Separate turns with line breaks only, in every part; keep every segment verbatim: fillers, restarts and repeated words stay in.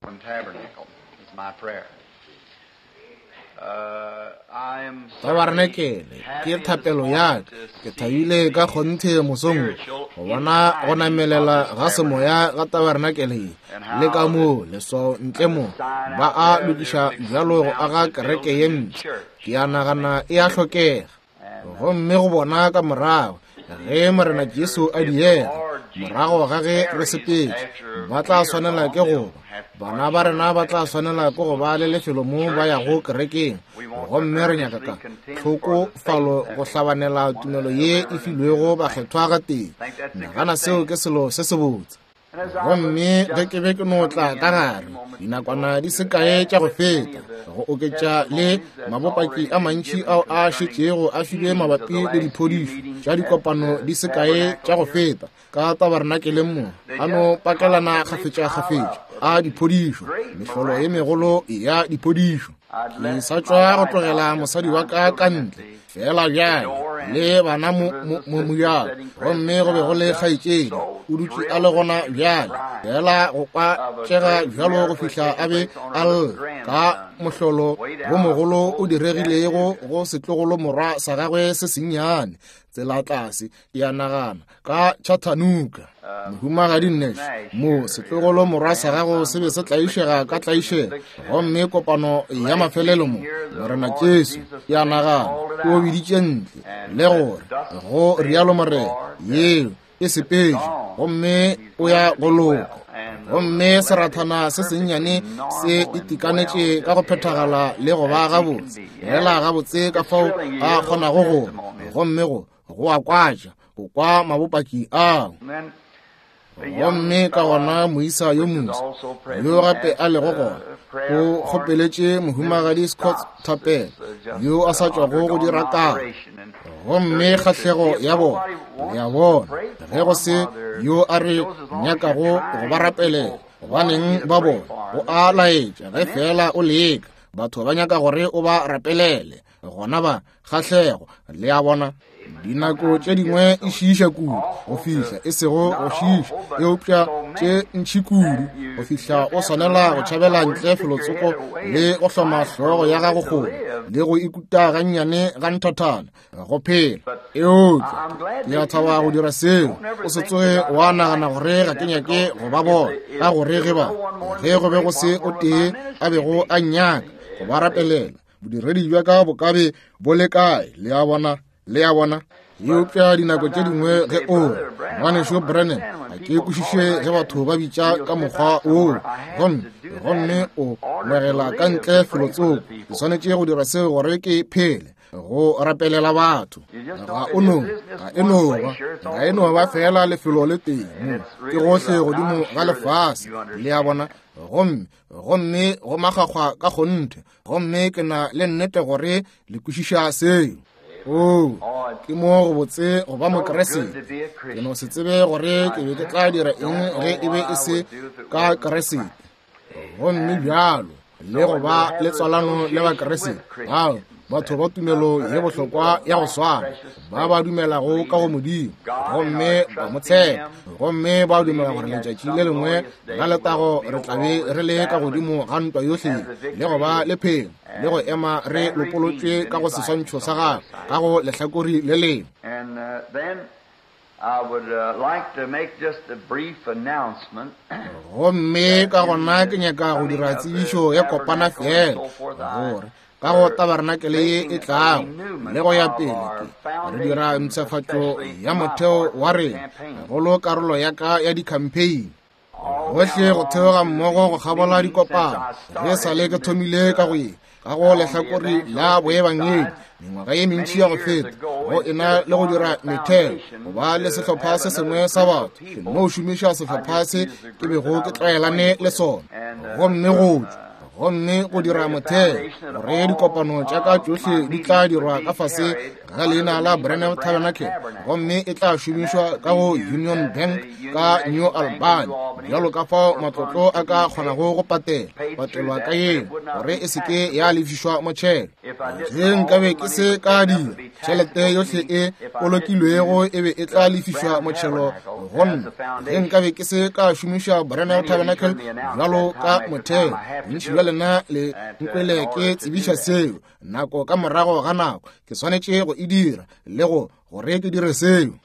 Tabernacle is my prayer. Uh, I am
Tabarenakele ke thapelo ya ka. Ke thabile ka kgonthe mosong go bona go namelela ga semoya ga tabarenakele ye, le ka moo leswao ntle mo ba a lokiša bjalo go aga kereke ye mpsha. Ke a nagana e a hlokega. Gomme go bona ka morago ge Morena Jesu a diega, morago ga ge re sepetše, ba tla swanela ke go ba bana ba rena ba tla swanela ke go ba le lefelo mo ba yago kerekeng. Gomme re nyaka ka tlhokofalo go hlabanela tumelo ye e filwego bakgethwa gatee. Nagana seo ke selo se sebotse. Gomme ge ke be ke no tla ka gare dinakwana di se kae tša go feta, go oketša le mabopaki a mantši ao a šetšego a filwe mabapi le diphodišo tša dikopano di se kae tša go feta ka tabarenakeleng mo, a no pakelana kgafetša-kgafetša a diphodišo, mehlolo ye megolo ya diphodišo. Ke sa tšwa go tlogela mosadi wa ka ka ntle fela bjale le bana mo mo mojako, gomme go be go le kgaetšedi o dutše a le gona bjale, fela go kwa tšega bjalo go fihla a be a lla ka mohlolo wo mogolo o diregilego go setlogolo morwa sa gagwe se sennyane tsela tlase, ke a nagana ka Chattanooga. Mohumagadi Nash mo setlogolo morwa sa gago se be se tlaišega ka tlaišego, gomme kopano ya mafelelo mo Morena Jesu, ke a nagana o biditše ntle le gore go rialo Morena, yeo e sepetše gomme o ya go loka. Gomme serathana se sennyane se itekanetše ka go phethagala le go ba gabotse, fela gabotse ka fao a kgonago go ba, gomme go go a kwatša go kwa mabopaki ao. Gomme ka gona moisa yo moswa yo gape a lego gona o kgopeletše mohumagadi Scott thapelo yo a sa tšwago go dira karo. Gomme kgahlego ya bona, le a bona, ge go se yo a re nyakago go ba rapelela, gobaneng ba bona go a laetša ge fela o leka, batho ba nyaka gore o ba rapelele, gona ba kgahlego, le a bona. Dinako tše dingwe e šiiša kudu go fihla e sego go šiiša, eupša tše ntši kudu go fihla o swanela go tšhabela ntle felotsoko le go hloma hlogo ya gago kgole le go ikuta gannyane ga nthathana go phela. Eupša ke a thaba go dira seo. O se tsoge wa nagana gore ga ke nyake go ba bona, ka gore ge ba ge go be go se o tee a bego a nnyaka go ba rapelela, bodiredi bja ka bo ka be bo le kae? Le a bona, le a bona. Eupša dinako tše dingwe ge o ngwanešo Branham, ga ke kwešiše ge batho ba bitša ka mokgwa woo, gomme gomme o ngwegela ka ntle felotsoko. Ke swanetše go dira seo gore ke phele, go rapelela batho. Ga o no, ga e no ba, ga e no ba fela lefelo le tee mo, ke gohle godimo ga lefase, le a bona. Gomme gomme go makgakgwa ka kgonthe, gomme ke na le nnete gore le kwešiša seo. Oo, ke mo go botse go ba Mokeresete. Ke no se tsebe gore ke be ke tla dira eng ge e be e se ka Keresete. Gomme bjalo le go ba le tswalano le Bakeresete bao batho ba tumelo ye bohlokwa ya go swana, ba ba dumelago ka go Modimo gomme ba mo tshepa, gomme ba dumela gore letšatši le lengwe la letago re tla be re le ka godimo ga ntwa yohle le go ba le phelo le go ema re lopolotšwe ka go seswantšho sa gagwe ka go lehlakori le lengwe.
And uh, then I would uh, like to make just a brief announcement.
Gomme ka gona ke nyaka go dira tsebišo ya kopana fela gore ka go tabarenakele ye e tlago le go ya pele ke re dira mpshafatšo ya motheo wa rena, gagolo karolo ya ka ya di-campaign gohle go theoga mmogo go kgabola dikopano. Ge sa le ke thomile ka go ye ka go lehlakori la boebangedi mengwaga ye mentši ya go feta, go ena le go dira metheo go ba le sehlopha se sengwe sa batho, ke no šomiša sehlopha se ke bego ke tlwaelane le sona. Gomme go tšwa Gomme go dira motheo gore dikopano tša ka tšohle di tla dirwa ka fase ga leina la Branham Tabernacle, gomme e tla šomišwa ka go Union Bank ka New Albany, bjalo ka fao matlotlo a ka kgonago go patela patelwa ka yeo, gore e se ke ya lefišwa motšhelo. Ge nkabe ke se ka dira, tšhelete yohle e bolokilwego e be e tla lefišwa motšhelo go nna. Ge nkabe ke se ka šomiša Branham Tabernacle bjalo ka motheo, bontši bja lena le nkwele ke tsebiša seo nako ka morago ga nako. Ke swanetše go e dira le go gore ke dire seo.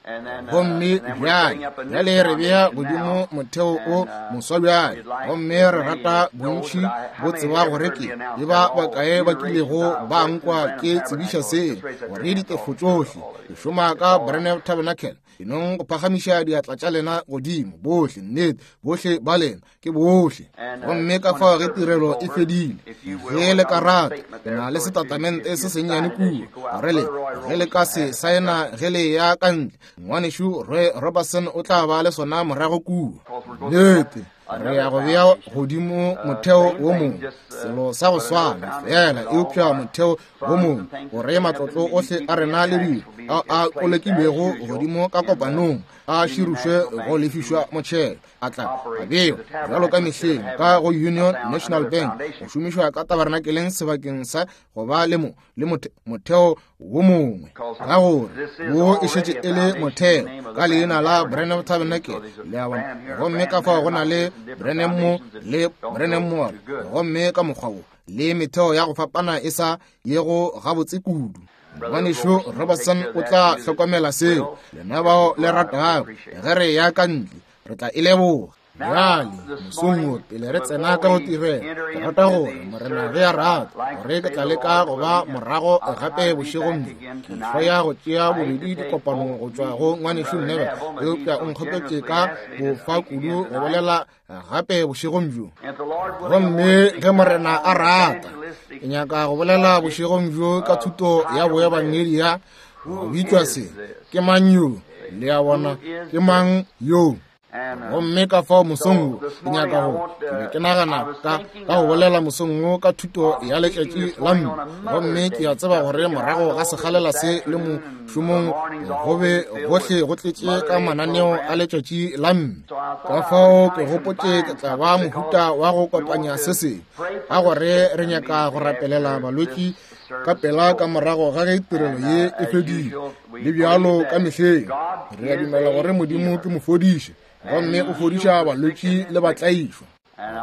Gomme bjale bjale re bea godimo motheo o moswa bjale, gomme re rata bontši bo tseba gore ke e ba bakae ba kilego ba nkwa ke tsebiša seo, gore ditefo tšohle ke šoma ka Branham Tabernacle. E nong go phagamiša diatla tša lena godimo, bohle, nnete, bohle ba lena, ke bohle. Gomme ka fao ge tirelo e fedile, ge le ka rata, ke na le setatamente se sennyane kua, gore le ge le ka se saena ge le ya ka ntle, ngwanešu Roy Robertson o tla ba le sona morago kua. Nnete, re ya go bea godimo motheo wo mongwe, selo sa go swana fela, eupša motheo wo mongwe, gore matlotlo ohle a rena le dilo ao a kolekilwego godimo ka kopanong a širušwe go lefišwa motšhelo, a tla a bewa bjalo ka mehleng ka go Union National Bank, go šomišwa ka tabernakeleng sebakeng sa go ba le mo le motheo wo mongwe, ka gore wo e šetše e le motheo ka leina la Branham Tabernacle, le a bona. Gomme ka fao go na le Branham mo le Branham mo, gomme ka mokgwa wo le metheo ya go fapana e sa yego gabotse kudu. Ngwanešu Robertson o tla hlokomela seo. Lena bao le ratago, ge re ya ka ntle, re tla e leboga. Bjale mosong wo pele re tsena ka go tirelo, ke rata gore Morena ge a rata gore ke tla leka go ba morago gape bošegong bjo. Ke hloya go tšea bobedi dikopano go tšwa go ngwanešu Neville, eupša o nkgopetše ka bofa kudu go bolela gape bošegong bjo. Gomme ge Morena a rata, ke nyaka go bolela bošegong bjo ka thuto ya boebangedi ya go bitšwa se, ke mang yo? Le a bona, ke mang yo? Gomme ka fao mosong wo ke nyaka go, ke be ke nagana ka ka go bolela mosong wo ka thuto ya letšatši la mme. Gomme ke a tseba gore morago ga sekgalela se le mošomong go be gohle go tletše ka mananeo a letšatši la mme. Ka fao ke gopotše ke tla ba mohuta wa go kopanya se sengwe, ka gore re nyaka go rapelela balwetši ka pela ka morago ga ge tirelo ye e fedile. Le bjalo ka mehleng, re a dumela gore Modimo ke mofodiši, gomme o fodiša balwetši le batlaišwa.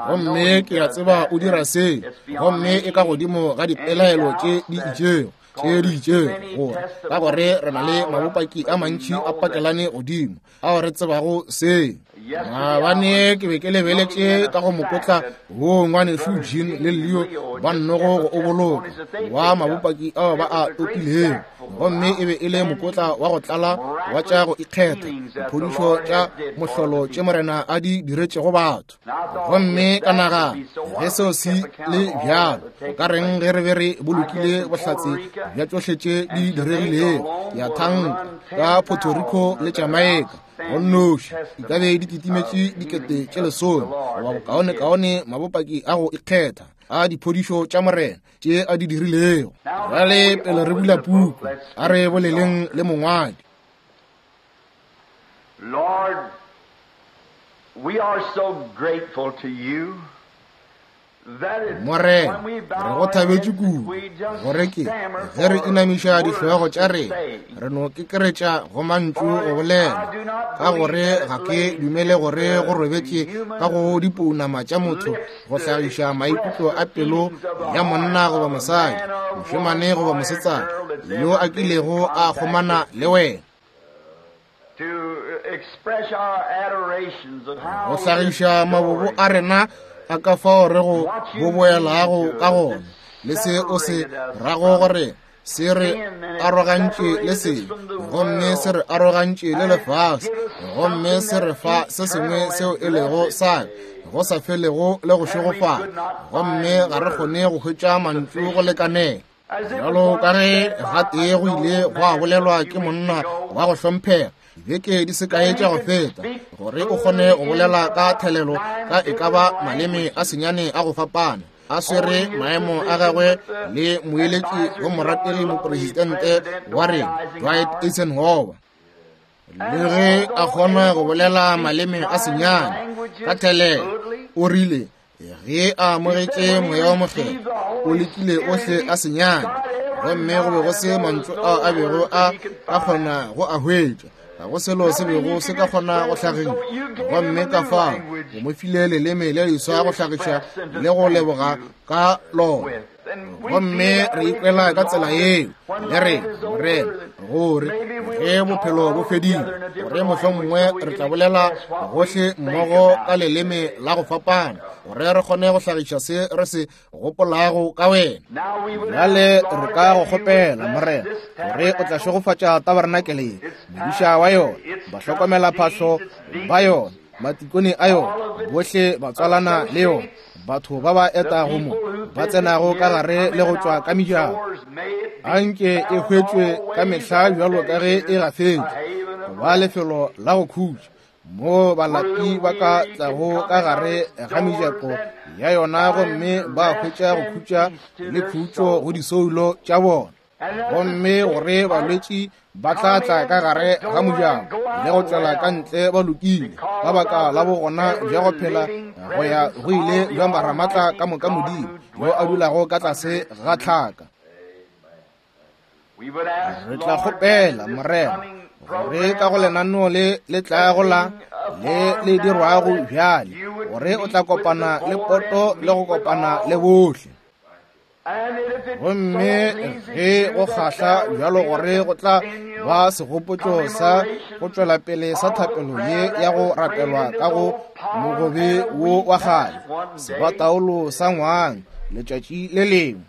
Gomme ke a tseba o dira se, gomme e ka godimo ga dipelaelo tše di itšego tše di itšego, gore ka gore re na le mabopaki a mantši a pakelane godimo ao re tsebago se. Maabane ke be ke lebeletše ka go mokotla wo ngwanešu Jean le Leo ba nnogo go o boloka wa mabopaki ao ba a topilego, gomme e be e le mokotla wa go tlala wa tša go ikgetha, diphodišo tša mohlolo tše Morena a di diretšego batho. Gomme ka nagana, ge seo se le bjalo, go ka reng ge re be re bolokile bohlatse bja tšohle tše di diregilego, ya thanka ka Puerto Rico le Jamaica go nnoši, di ka be di kitimetše dikete tše lesome goba bokaonekaone mabopaki a go ikgetha a diphodišo tša Morena tše a di dirilego. Bjale pele re bula puku, a re boleleng le mongwadi.
Lord, we are so grateful to you.
Morena, re go thabetše kudu gore ke ge re inamiša dihlogo tša rena, re no kekeretša go mantšu go bolela, ka gore ga ke dumele gore go robetše ka go dipounama tša motho go hlagiša maikutlo a pelo ya monna goba mosadi, mošemane goba mosetsana yo a kilego a kgomana le wena. Go hlagiša mabobo a rena a ka fao re go boboelago ka gona, le se o se rago gore se re arogantše le sebe, gomme se re arogantše le lefase, gomme se re fa se sengwe seo e lego sa go sa felego le go šegofala, gomme ga re kgone go hwetša mantšu go lekanela. Bjalo ka ge gatee go ile gwa bolelwa ke monna wa go hlomphega dibeke di se kae tša go feta, gore o kgone go bolela ka thelelo ka e ka ba maleme a senyane a go fapana, a swere maemo a gagwe le moeletši wa morategi mopresidente wa rena Dwight Eisenhower. Le ge a kgona go bolela maleme a senyane ka thelelo, o rile ge a amogetše moya wa mokgethwa o lekile ohle a senyane, gomme go be go se mantšu ao a bego a ka kgona go a hwetša, ga go selo se bego se ka kgona go hlagiša. Gomme ka fao o mo file leleme le leswa go hlagiša le go leboga ka lona. Gomme re ikwela ka tsela yeo le rena, Morena, gore ge bophelo bo fedile, gore mohlomongwe re tla bolela gohle mmogo ka leleme la go fapana, gore re kgone go hlagiša se re se gopolago ka wena. Bjale re ka go kgopela, Morena, gore o tla šegofatša tabarenakele ye, modiša wa yona, bahlokomelaphahlo ba yona, matikone a yona, bohle ba tswalana le yona, batho ba ba etago mo, ba tsenago ka gare le go tšwa ka mejako. Anke e hwetšwe ka mehla bjalo ka ge e gafetšwe go ba lefelo la go khutša, mo balapi ba ka tlago ka gare ga mejako ya yona gomme ba hwetša go khutša le khutšo go disoulo tša bona. Gomme gore balwetši ba tla tla ka gare ga mojako le go tšwela ka ntle ba lokile, ka baka la bogona bja go phela go ya go ile bja Maramatla ka moka Modimo yo a dulago ka tlase ga tlhaka. Re tla kgopela, Morena, gore ka go lenaneo le le tlago la le le dirwago bjale, gore o tla kopana le poto le go kopana le bohle. Gomme ge go kgahla bjalo gore go tla ba segopotšo sa go tšwela pele sa thapelo ye ya go rapelwa ka go mogobe wo wa kgale, sebataolo sa ngwang letšatši le lengwe.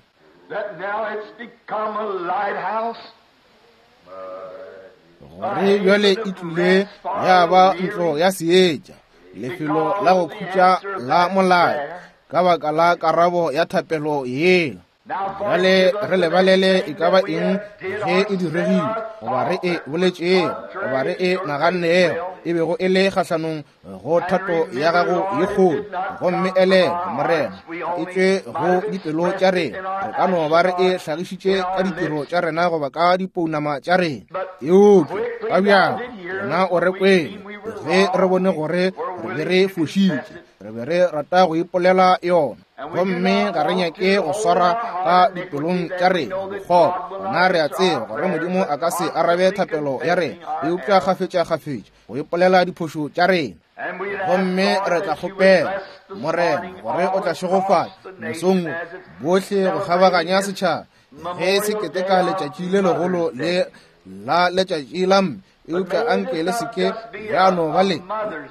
Gore bjale e tlile ya ba ntlo ya seetša, lefelo la go khutša la molao, ka baka la karabo ya thapelo yela. Bjale re lebalele e ka ba eng ge e diregile, goba re e boletšego, goba re e nagannego, e bego e le kgahlanong go thato ya gago ye kgolo. Gomme elelwa, Morena, e tšwe go dipelo tša rena. Re ka no ba re e hlagišitše ka ditiro tša rena goba ka dipounama tša rena, eupša ka bjako wena o re kwele ge re bone gore re be re fošitše, re be re rata go ipolela yona. Gomme ga re nyake go swara ka dipelong tša rena bokgopo. Gona re a tseba gore Modimo a ka se arabe thapelo ya rena, eupša kgafetša-kgafetša go ipolela diphošo tša rena. Gomme re tla kgopela, Morena, gore o tla šegofatša mosong bohle go kgabaganya setšhaba ge se keteka letšatši le legolo le la letšatši la mme. Eupša anke le seke ya no ba le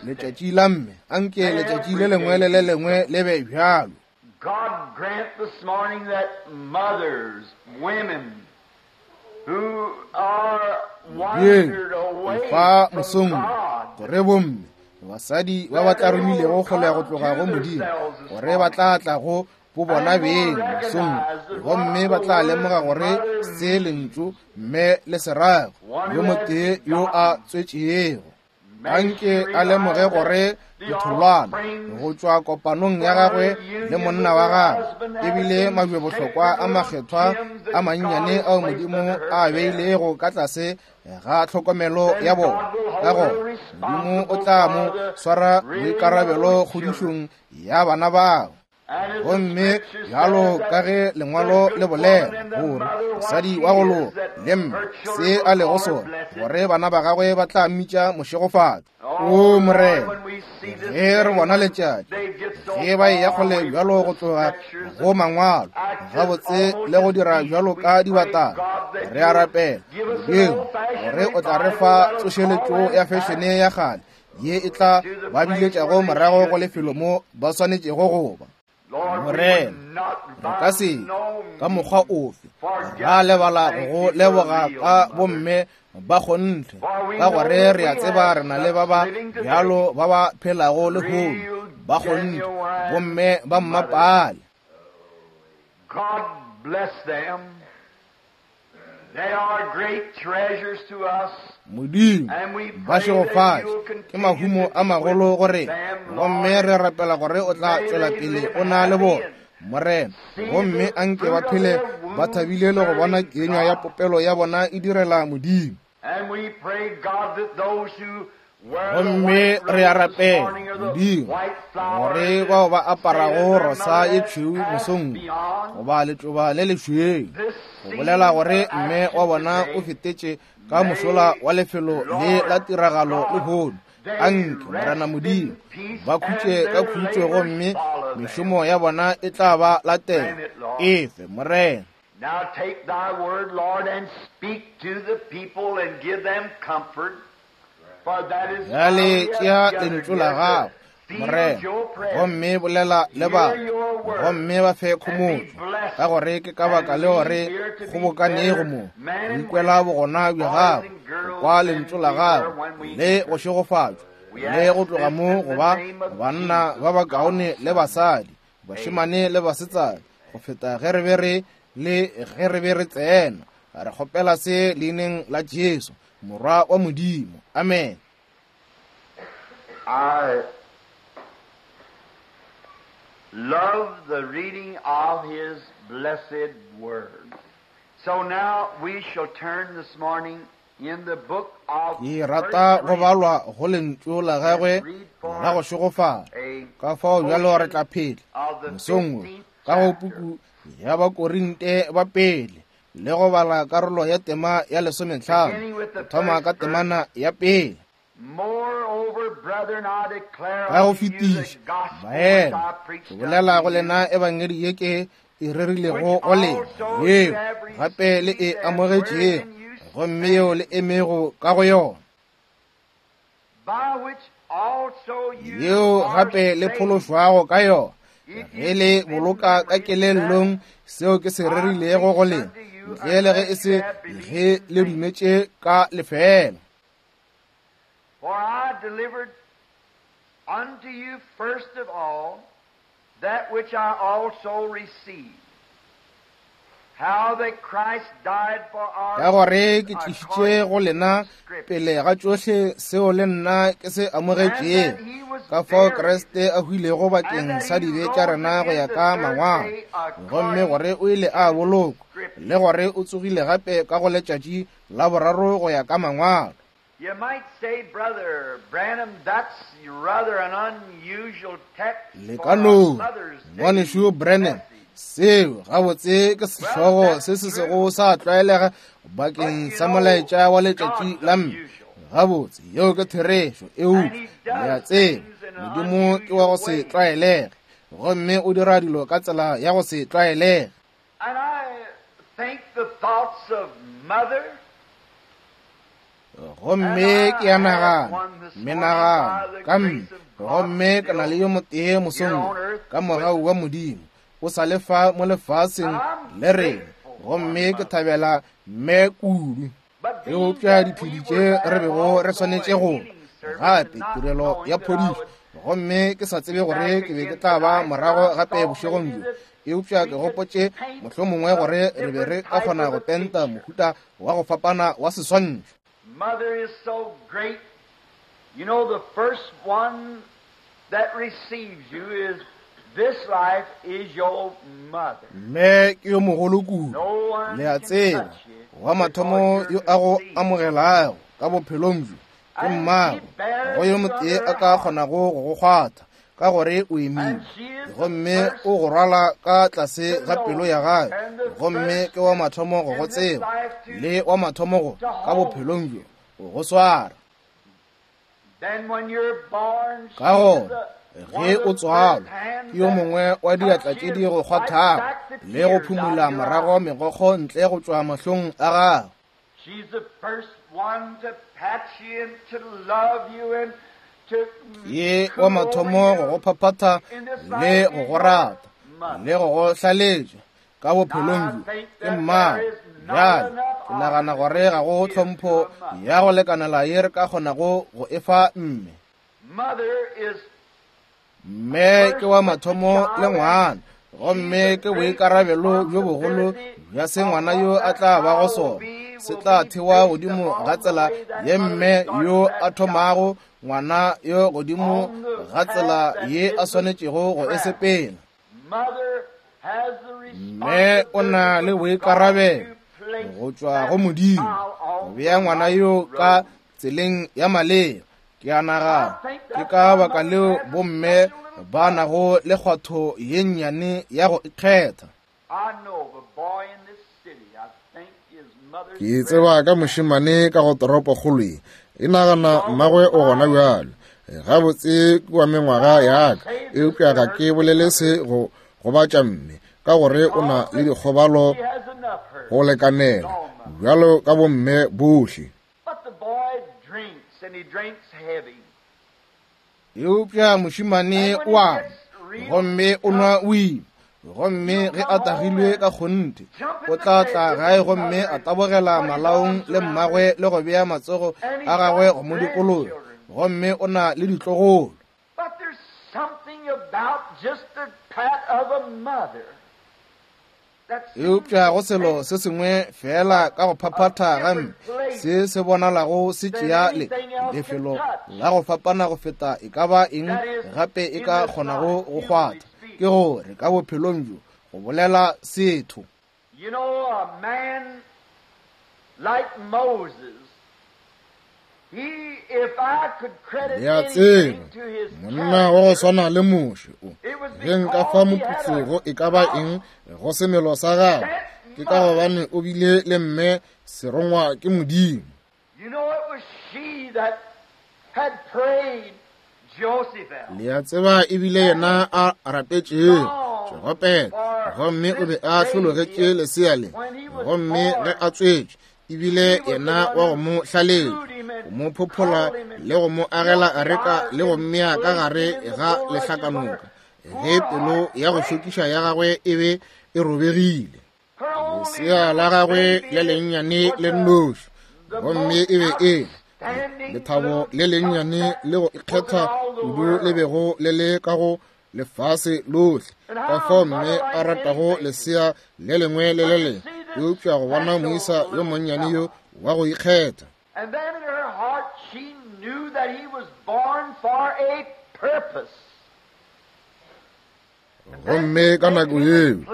letšatši la mme, anke letšatši le lengwe le le lengwe le be bjalo.
God grant this morning that mothers, women who are wandered away
fa
from
mosong
God,
gore bomme basadi ba ba tla romilego kgole go tloga go Modimo, gore ba tla tla go bo bona beng mosong, gomme ba tla lemoga gore se lentšu mme le serago yo motee yo a tswetšego. Anke a lemoge gore ditholwana go tšwa kopanong ya gagwe le monna wa gagwe ebile majwebohlokwa a makgethwa a mannyane ao Modimo a beilego ka tlase ga tlhokomelo ya bona. Ka gona Modimo o tla mo swara boikarabelo kgodišong ya bana bao. Gomme bjalo ka ge lengwalo le bolela gore mosadi wa go loka le mme se a lego sona, gore bana ba gagwe ba tla mmitša mošegofatšo. O Morena, ge re bona letšatši ge ba eya kgole bjalo go tloga go mangwalo gabotse le go dira bjalo ka dibatana, re a rapela Modimo gore o tla re fa tsošeletšo ya fešene ya kgale ye e tla ba biletšago morago go lefelo mo ba swanetšego go ba. Morena, re ka se ka mokgwa ofe ra lebala go leboga ka bomme ba kgonthe, ka gore re a tseba re na le ba ba bjalo ba ba phelago lehono ba kgonthe, bomme ba mmapale.
God bless them. They are great treasures to us.
Modimo ba šegofatše, ke mahumo a magolo go rena, gomme re rapela gore o tla tšwela pele o na le bona. Morena, gomme anke ba phele ba thabile le go bona kenywa ya popelo ya bona e direla Modimo. Gomme re a rapela, Modimo, gore bao ba aparago rosa ye tšhweu mosong goba letšoba le lešweu, go bolela gore mme wa bona o fetetše ka mošola wa lefelo le la tiragalo lehono, anke Morena Modimo ba khutše ka khutšo gomme mešomo ya bona e tla ba latela. Efe, Morena.
Now take thy word, Lord, and speak to the people and give them comfort.
Bjale tšea lentšu la gago, Morena, gomme bolela le batho, gomme ba fe khomotšo, ka gore ke ka baka le gore kgobokanego mo, go ikwela bogona bja gago, go kwa lentšu la gago, le go šegofatšwa, le go tloga mo go ba banna ba bakaone le basadi, bašemane le basetsana, go feta ge re be re le ge re be re tsena. Re kgopela se leineng la Jesu, Morwa wa Modimo. Amen.
I love the reading of his blessed word. So now we shall turn this morning in the book of
Ke rata go balwa go lentšu la gagwe la go šegofala. Ka fao bjalo re tla phela mosong wo ka go puku ya Bakorinte ba pele le go bala karolo ya tema ya lesometlhano, go thoma ka temana ya pele. Ka go fetiša, baena, ke bolela go lena ebangedi ye ke e rerilego go lena, yeo gape le e amogetšego, gomme yeo le emego ka go yona, yeo gape le phološwago ka yona, ge le boloka ka kelellong seo ke se rerilego go lena, ntle le ge e se ge le dumetše ka lefeela.
For I delivered unto you first of all that which I also received, how that Christ died for our
Ka gore ke tlišitše go lena pele ga tšohle seo le nna ke se amogetšego, ka fao Kriste a hwilego bakeng sa dibe tša rena go ya ka mangwalo, gomme gore o ile a bolokwa, le gore o tsogile gape ka go letšatši la boraro go ya ka mangwalo.
You might say, Brother Branham, that's rather an unusual text
Le
for
ka
a
no,
Mother's Day
ngwanešu Branham, seo gabotse ke sehlogo se se sego sa tlwaelega bakeng sa molaetša wa letšatši la mme. Gabotse, yeo ke therešo, eupša le a tseba, Modimo ke wa go se tlwaelege, gomme o dira dilo ka tsela ya go se tlwaelege.
And I think the thoughts of mother
Gomme ke a nagana, menagano ka mme, gomme ke na le yo motee mosong wo, ka mogau wa Modimo, o sa le fa mo lefaseng le rena, gomme ke thabela mme kudu. Eupša diphedi tše re bego re swanetše go gape tirelo ya phodišo, gomme ke sa tsebe gore ke be ke tla ba morago gape bošegong bjo, eupša ke gopotše mohlomongwe gore re be re ka kgona go penta mohuta wa go fapana wa seswantšho.
Mother is so great. You know, the first one that receives you is this life is your mother.
Mme ke yo mogolo kudu,
No one
le a
can
tseba,
touch you
wa mathomo yo a go amogelago ka bophelong bjo ke mmago, go yo motee a ka kgonago go go kgwatha ka gore o imile, gomme o go rwala ka tlase ga pelo ya gagwe, gomme ke wa mathomo go go tseba, le wa mathomo go ka bophelong bjo go go swara.
Then when you're born,
Ka
she is
gona
the
ge
one
o
of the
tswalwa,
first hands
ke yo
that
mongwe wa diatla tše di go kgwathago le go phumula morago megokgo ntle go tšwa mahlong a gago.
She's the first one to pat you and to love you and to
Ye wa mathomo go go phaphatha le go go rata le go go hlaletša ka bophelong bjo ke mmago. Bjale ke nagana gore ga go tlhompho ya go lekanela ye re ka kgonago go e fa mme.
Mother is
Mme ke wa mathomo le ngwana, gomme ke boikarabelo bjo bogolo bja se ngwana yo a tla bago sona se tla thewa godimo ga tsela ye mme yo a thomago ngwana yo godimo ga tsela ye a swanetšego go e sepela.
Mother
Mme o na le boikarabelo go tšwa go Modimo go bea ngwana yo ka tseleng ya maleba. Ke a nagana ke ka baka leo bomme ba nago le kgwatho ye nnyane ya go ikgetha.
Ke tseba ka mošemane ka go toropokgolo ye, e nagana mmagwe o gona bjalo. Gabotse ke wa mengwaga ya ka, eupša ga ke bolele se go gobatša mme, ka gore o na le dikgobalo go lekanela bjalo ka bomme bohle.
Eupša mošemane o a gomme o nwa wine, gomme ge a tagilwe ka kgonthe o tla tla gae gomme a tabogela malaong le mmagwe le go bea matsogo a gagwe go mo dikologa, gomme o na le ditlogolo. Eupša go selo se sengwe fela ka go phaphatha ga mme se se bonalago se tšea le lefelo la go fapana go feta e ka ba eng gape e ka kgonago go kgwatha, ke gore ka bophelong bjo go bolela setho.
You know, a man like Moses, he, if I could credit
Le a tseba,
anything to his
monna wa go
character,
swana le Moshe o
it was
ge nka fa
because he had
moputso
a
go e ka ba eng go semelo sa gagwe, ke ka gobane o bile le mme serongwa ke Modimo.
You know, it was she that had prayed Joseph out.
Le a tseba ebile yena a rapetšego Jogopela, gomme o be a hlologetše lesea le, gomme ge a tswetšwe ebile yena wa go mo hlaletša, go mo phophola le go mo agela areka le go mmea ka gare ga lehlakanoka, ge pelo ya go šokiša ya gagwe e be e robegile.
Her only
Lesea la gagwe le lennyane le nnoši, gomme e be e lethabo le lennyane le go ikgetha kudu le bego le le ka go lefase lohle. Ka fao mme a ratago lesea le lengwe le le lengwe, eupša go bona moisa yo monnyane yo wa go ikgetha.
And then in her heart she knew that he was born for a purpose.
Gomme ka nako yeo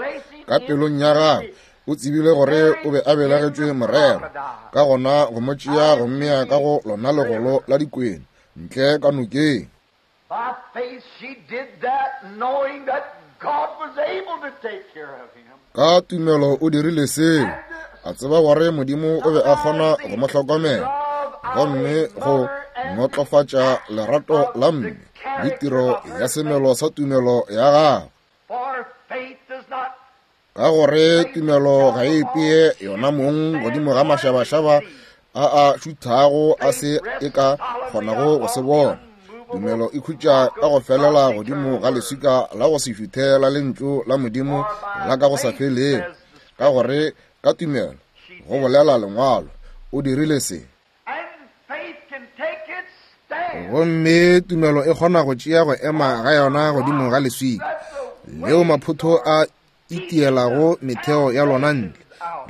ka pelong ya gagwe o tsebile gore o be a belegetšwe morero, ka gona go mo tšea go mmea ka go lona legolo la dikwena ntle ka nokeng.
By faith she did that, knowing that God was able to take care of him.
Ka tumelo o dirile seo, a tseba gore Modimo o be a kgona go mo hlokomela, gomme go notlofatša lerato la mme le tiro ya semelo sa tumelo ya gagwe.
For faith does not
Ka gore tumelo ga e ipee yona mong godimo ga mašabašaba a a šuthago a se e ka kgonago go se bona. Tumelo e khutša ka go felela godimo ga leswika la go se šuthe la lentšu la Modimo la ka go sa felego. Ka gore ka tumelo, go bolela lengwalo, o dirile se.
And faith can take its stand.
Gomme tumelo e kgona go tšea go ema ga yona godimo ga leswika leo maphotho a itielago metheo ya lona ntle,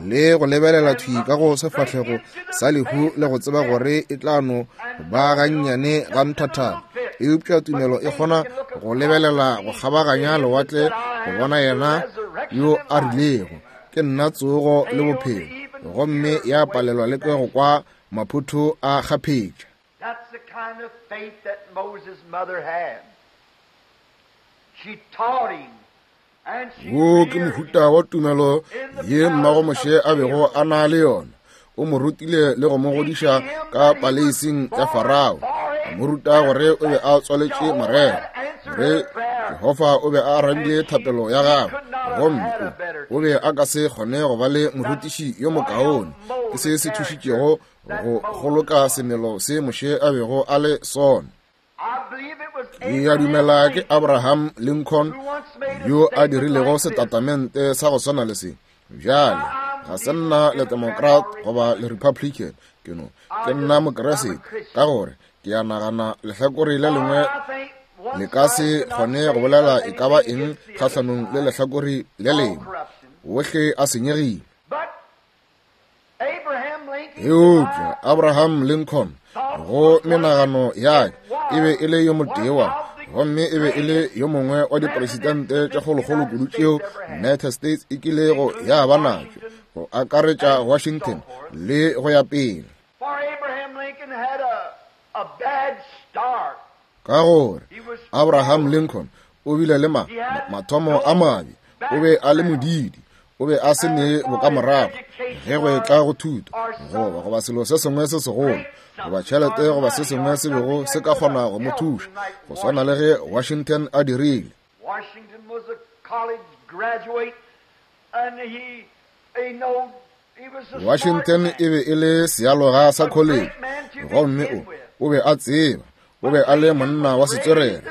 le go lebelela thwi ka go sefahlego sa lehu le go tseba gore e tla no ba gannyane ga nthathana. Eupša tumelo e kgona go lebelela go kgabaganya lewatle go bona yena yo a rilego, ke nna tsogo le bophelo, gomme ya palelwa le ke go kwa maphotho a kgaphetša.
That's the kind of faith that Moses' mother had. She taught him and she
Wo ke
reared him.
mohuta wa tumelo ye mmago Moshe a bego a na le yona. O mo rutile le go mo godiša ka paleising ya Farao, a mo ruta gore o be a tswaletše morero, gore Jehofa o be a arabile thapelo ya gagwe, gomme o, o be a ka se kgone go ba le morutiši yo mokaone. Ke se se thušitšego go kgoloka semelo se Moshe a bego a le sona.
I believe it was
Ke a dumela ke Abraham Lincoln
who once made a
yo a
statement
dirilego
like this.
setatamente sa go swana le se. Bjale ga se nna le Democrat goba le Republican, ke no ke nna Mokeresete, ka gore ke a nagana lehlakore le lengwe
I think one
le ka se
side cannot
kgone go
say
bolela e ka ba
anything
eng
against the other
kgahlanong le
side.
lehlakore le
All
lengwe,
corruption.
ohle a senyegile.
But Abraham Lincoln
Eupša Abraham Lincoln go menagano ya ka e be e le yo motee wa Gomme e be e le yo mongwe wa dipresidente tša kgolokgolo kudu tšeo United States e kilego ya ba natšo, go akaretša Washington le go ya pele. Ka gore Abraham Lincoln o bile le ma, mathomo a mabe, o be a le modidi, o be a se ne bokamorago ge go etla go thuto goba goba selo se sengwe se segolo goba tšhelete goba se sengwe se bego se ka kgona go mo thuša, go swana le ge Washington a dirile. Washington e be e le sealoga sa college, gomme o o be a tseba, o be a le monna wa setswerere,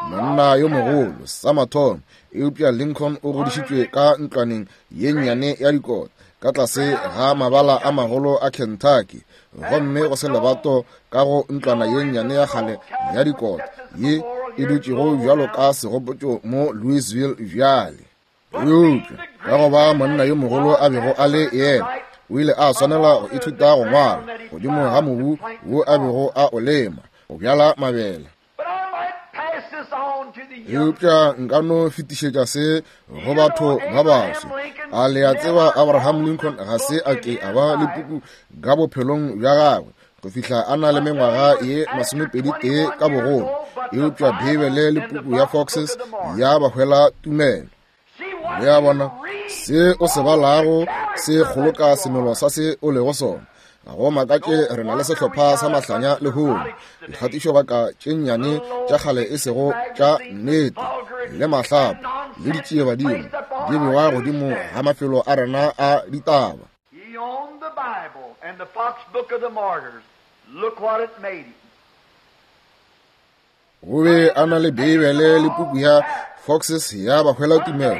monna yo mogolo sa mathomo. Eupša Lincoln o godišitšwe ka ntlwaneng ye nnyane ya dikota ka tlase ga mabala a magolo a Kentucky, gomme go se lebato ka go ntlwana ye nnyane ya kgale ya dikota ye e dutšego bjalo ka segopotšo mo Louisville bjale. Eupša ka go ba monna yo mogolo a bego a le yena, o ile a swanela go ithuta go ngwala godimo ga mobu wo a bego a o lema go bjala mabele. Eupša nka no fetišetša se go batho ba baswa. A le a tseba Abraham Lincoln ga se a ke a ba le puku ka bophelong bja gagwe go fihla a na le mengwaga ye masomepedi tee ka bogolo, eupša Beibele le puku ya Foxes ya ba hwela tumelo. Le a bona, se o se balago se kgoloka semelo sa se o lego sona. Ga go makatše re na le sehlopha sa mahlanya lehono, dikgatišobaka tše nnyane tša kgale e sego tša nnete, le mahlapo le ditšiebadimo di bewa godimo ga mafelo a rena a ditaba. O be a na le Beibele le puku ya Foxes ya bahwela tumelo.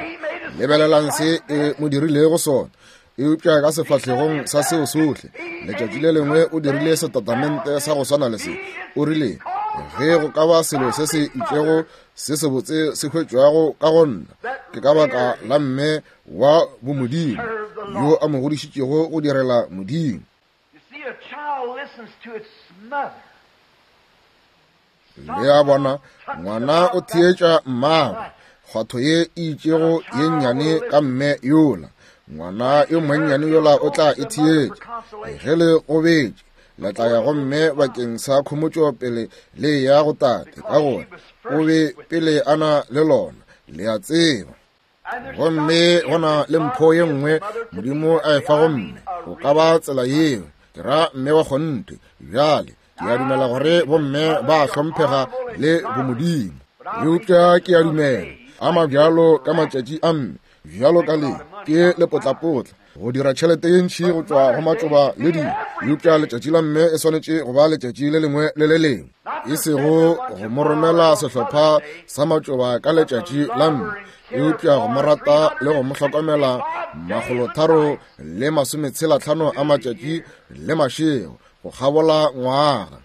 Lebelelang se e mo dirilego sona. Eupša ka sefahlegong sa seo sohle, letšatši le lengwe o dirile setatamente sa go swana le se. O rile, ge go ka ba selo se se itšego se sebotse se hwetšwago ka go nna, ke ka baka la mme wa bomodimo yo a mo godišitšego go direla Modimo. Le a bona, ngwana o theetša mmagwe, kgwatho ye e itšego ye nnyane ka mme yola. Ngwana yo monnyane yola o tla e theetša. Ge le gobetše, le tla ya go mme bakeng sa khomotšo pele le ya go tate, ka gore o be pele a na le lona, le a tseba. Gomme go na le mpho ye nngwe Modimo a e fa go mme, go ka ba tsela yeo, ke ra mme wa kgonthe. Bjale ke a dumela gore bomme ba hlomphega le bomodimo, eupša ke a dumela a mabjalo ka matšatši a mme bjalo ka le ke lepotlapotla go dira tšhelete ye ntši go tšwa go matšoba le dilo. Eupša letšatši la mme e swanetše go ba letšatši le lengwe le le lengwe, e sego go mo romela sehlopha sa matšoba ka letšatši la mme, eupša go mo rata le go mo hlokomela makgolotharo le masometshelatlhano a matšatši le mašego go kgabola ngwaga.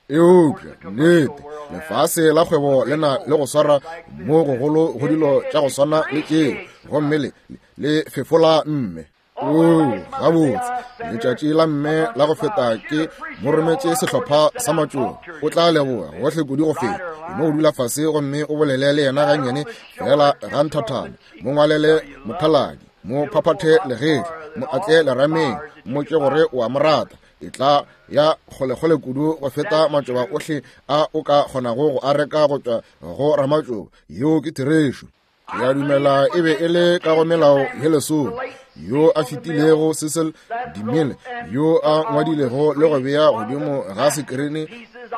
Eupša nnete, lefase la kgwebo le na le go swara mo gogolo go dilo tša go swana le tšeo, gomme le le fefola mme. Oo, gabotse, letšatši la mme la go feta ke mo rometše sehlopha sa matšoba. O tla leboga gohle kudu go feta. E no dula fase gomme o bolele le yena gannyane fela ga nthathana, mo ngwalele mothaladi, mo phaphathe legetla, mo atle lerameng, mmotše gore o a mo rata. E tla ya kgolekgole kudu go feta matšoba ohle a o ka kgonago go a reka go tšwa go ramatšoba. Yeo ke therešo. Ke a dumela e be e le ka go melao ye lesome yo a fetilego Cecil DeMille yo a ngwadilego le go bea godimo ga sekerene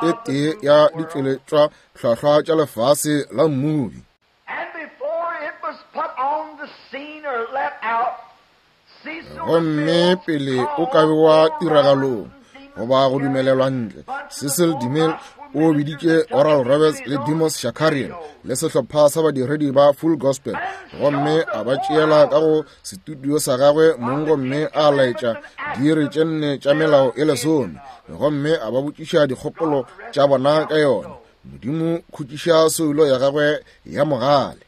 e tee ya ditšweletšwa hlwahlwa tša lefase la mmubi. Gomme pele o ka bewa tiragalong goba go dumelelwa ntle, Cecil DeMille o biditše Oral Roberts le Demos Shakarian le sehlopha sa badiredi ba Full Gospel, gomme a ba tšeela ka go setudio sa gagwe mong gomme a laetša diiri tše nne tša melao e lesome, gomme a ba botšiša dikgopolo tša bona ka yona. Modimo khutšiša soulo ya gagwe ya mogale.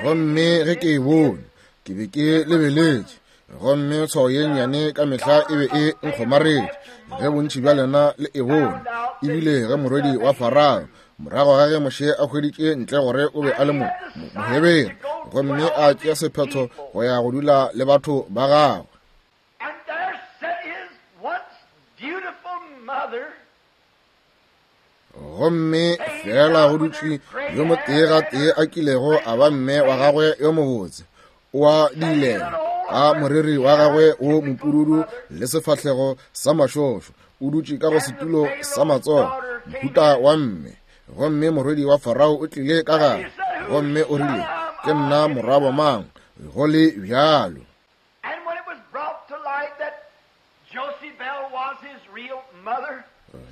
Gomme ge ke e bone, ke be ke lebeletše, Gomme tshwao ye nnyane ka mehla e be e nkgomaretše, ge bontši bja lena le e bone. Ebile ge morwedi wa Farao, morago ga ge Moshe a hweditše ntle gore o be a le Mohebere, gomme a tšea sephetho go ya go dula le batho ba gagwe. Gomme fela go dutše yo motee gatee a kilego a ba mme wa gagwe yo mobotse, o a diilela ka moriri wa gagwe wo mopududu le sefahlego sa mašošo, o dutše ka go setulo sa matsogo, mohuta wa mme. Gomme morwedi wa Farao o tlile ka gare, gomme o rile, ke nna morwabo mang, go le bjalo.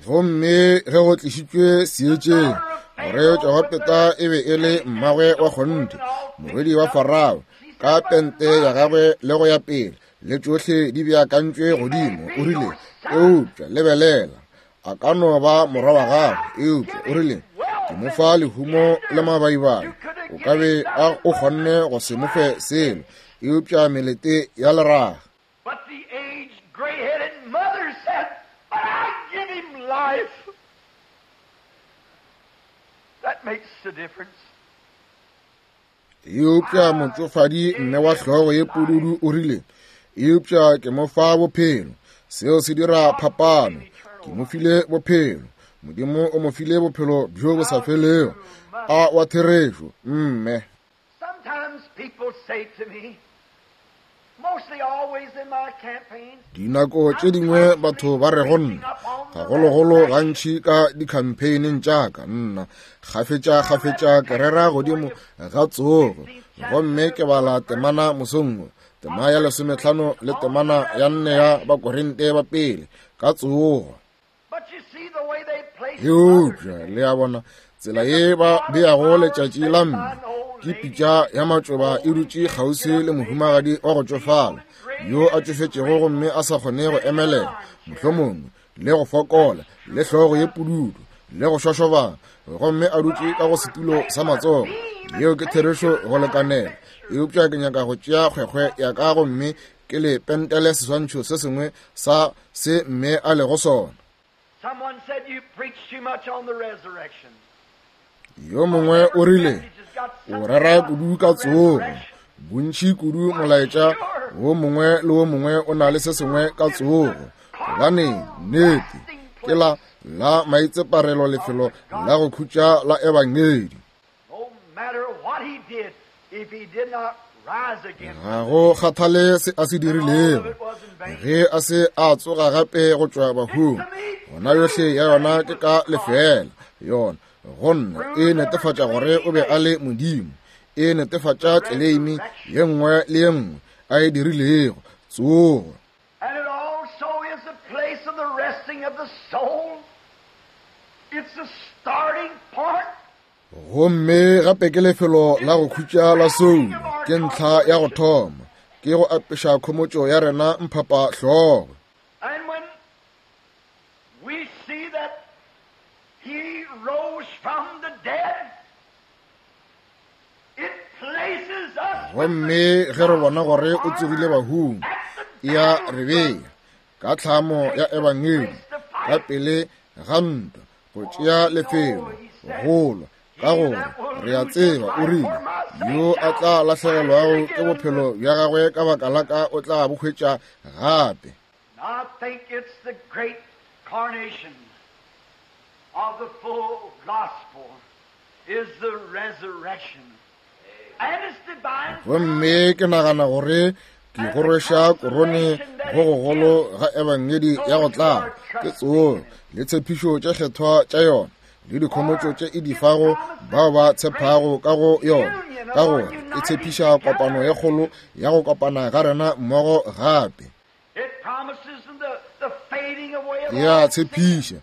Gomme ge go tlišitšwe seetšeng gore Jogopeta e be e le mmagwe wa kgonthe, morwedi wa Farao, ka pente ya gagwe le go ya pele, le tšohle di beakantšwe godimo, o rile, eupša lebelela, a ka no ba morwa wa gagwe, eupša o rile, ke mo fa lehumo le mabaibai, o ka be a o kgonne go se mo fe selo, eupša melete ya leraga. Eupša motšofadi mme wa hlogo ye pududu o rile, eupša ke mo fa bophelo, seo se dira phapano, ke mo file bophelo, Modimo o mo file bophelo bjo bo sa felego, a wa therešo, mme. Dinako tše dingwe batho ba re go nna, gagologolo gantši ka dikhampeineng tša ka, nna kgafetša kgafetša ke rera godimo ga tsogo, gomme ke bala temana mosong wo, tema ya lesometlhano le temana ya nne ya Bakorinte ba pele ka tsogo. Eupša le a bona tsela ye ba beago letšatši la mme, ke pitša ya matšoba e dutše kgauswi le mohumagadi wa go tšofala yo a tšofetšego gomme a sa kgone go emelela, mohlomongwe le go fokola, le hlogo ye pududu le go šošobana, gomme a dutše ka go setulo sa matsogo. Yeo ke therešo go lekanela. Eupša ke nyaka go tšea kgwekgwe ya ka gomme ke le pentele seswantšho se sengwe sa se mme a lego sona. Yo mongwe o rile, o rera kudu ka tsogo, bontši kudu molaetša wo mongwe le wo mongwe o na le se sengwe ka tsogo. Gobane nnete ke la la maitseparelo lefelo la go khutša la ebangedi. Ga go kgathale se a se dirilego, ge a se a tsoga gape go tšwa bahung, gona yohle ya yona ke ka lefeela. Yona go nna e netefatša gore o be a le Modimo, e netefatša tleleimi ye nngwe le ye nngwe a e dirilego, tsogo. Gomme gape ke lefelo la go khutša la soulo, ke ntlha ya go thoma, ke go apeša khomotšo ya rena mphapa hlogo. Gomme ge re bona gore o tsogile bahung, e a re bea ka tlhamo ya ebangedi ka pele ga ntwa go tšea lefelo go lwa, ka gore re a tseba o rile, yo a tla lahlegelwago ke bophelo bja gagwe ka baka la ka o tla bo hwetša gape. Gomme ke nagana gore ke go rweša korone go gogolo ga ebangedi ya go tlala ke tsogo le tshepišo tše kgethwa tša yona le dikhomotšo tše e di fago bao ba tshepago ka go yona, ka gore e tshepiša kopano ye kgolo ya go kopana ga rena mmogo gape. E a tshepiša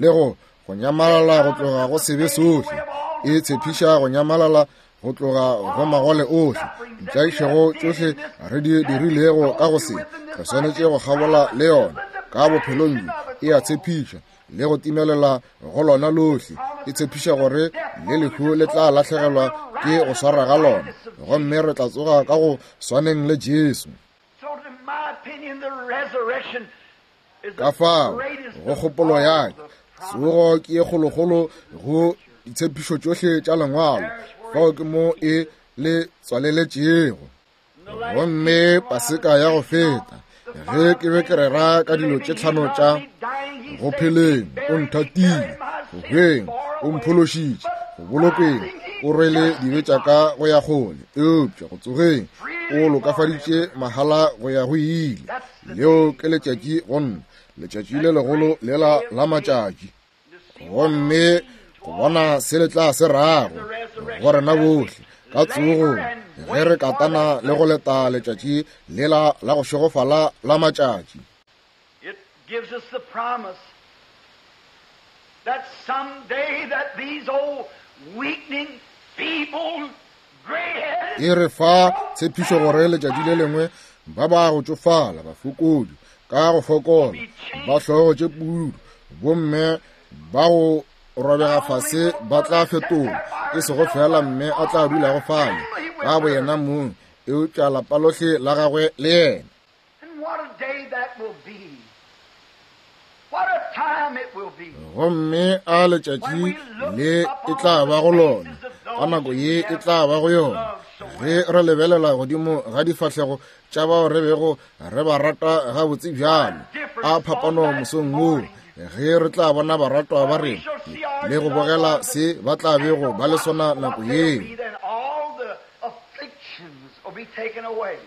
le go go nyamalala go tloga go sebe sohle, e tshepiša go nyamalala go tloga go magole ohle, ditlaišego tšohle re di dirilego ka go se, re swanetše go kgabola le yona ka bophelong bjo. E a tshepiša le go timelela go lona lohle, e tshepiša gore le lehu le tla lahlegelwa ke go swara ga lona, gomme re tla tsoga ka go swaneng le Jesu. Ka fao go kgopolo ya ka, tsogo ke ye kgolokgolo go ditshepišo tšohle tša lengwalo. Fao ke mo e le tswaleletšego. Gomme Paseka ya go feta, ge ke be ke rera ka dilo tše tlhano tša go pheleng, o nthatile, go hweng, o mphološitše, go bolokeng, o rwele dibe tša ka go ya kgole, eupša go tsogeng, o lokafaditše mahala go ya go ile. Leo ke letšatši go nna, letšatši le legolo lela la matšatši. Gomme go bona se le tla se rago go rena bohle ka tsogong, ge re katana le go leta letšatši lela la go šegofala la matšatši.
It gives us the promise that someday that these old weakening, feeble, gray-headed
E re fa tshepišo gore letšatši le lengwe ba ba go tšofala, bafokodi ka go fokola, ba hlogo tše pudu, bomme ba go robega fase ba tla fetola, e sego fela mme a tla dulago fale ka boyena mong, eupša lapa lohle la gagwe le yena.
And what a day that will be. What a time it will be.
Gomme a letšatši le e tla ba go lona, ka nako ye e tla ba go yona, ge re lebelela godimo ga difahlego tša bao re bego re ba rata gabotse bjalo. A phapano mosong woo, ge re tla bona baratwa ba rena le go bogela se ba tla bego ba le sona nako yeo.
Then all the afflictions will be taken away.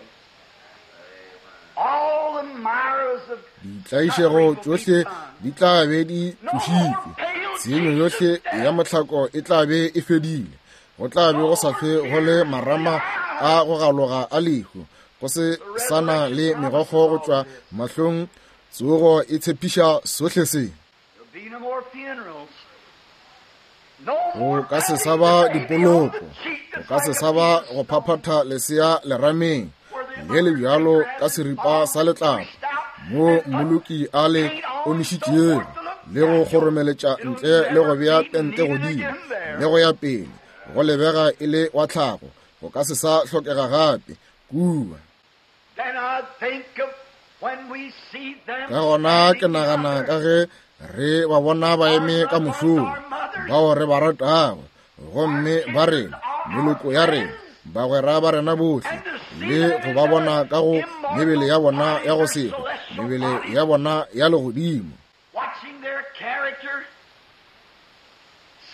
All the mires of
Ditlaišego tšohle di tla be di tlošitšwe, tshenyo yohle ya mohlako e tla be e fedile. Go tla be go sa hlwe go le marama a go galoga a lehu, go se sana le megokgo go tšwa mahlong. Tsogo e tshepiša sohle se.
There'll be no more funerals. No
Go
more
ka se
patting
sa ba
the baby on
dipoloko,
the cheek
go
that's
ka se
like
sa
a
ba
piece of
go
stone.
phaphatha lesea lerameng le le bjalo ka seripa sa letlapa, mo mmoloki a le omišitšego le go kgoromeletša ntle le go bea tente godimo le go ya pele, go lebega e le wa tlhago, go ka se sa hlokega gape kua.
Then I think of when we see them
Ka gona ke
standing
nagana
together.
ka ge re ba bona ba eme ka mošomo, bao re ba ratago, gomme ba rena, meloko ya rena, bagwera ba rena bohle, le go ba bona ka go mebele ya bona ya go se hwe, mebele ya bona ya legodimo,
watching their character,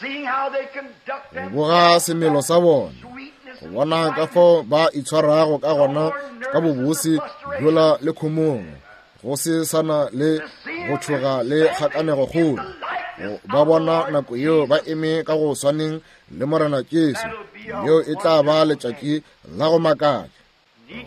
seeing how they conduct
go boga semelo sa bona,
sweetness
go bona ka fao ba itshwarago ka gona ka bobose bjola le khomong, go se sana le go tšhoga le kgakanego kgolo. Go ba bona nako yeo ba eme ka go swaneng le Morena Jesu, leo e tla ba letšatši la go makatša.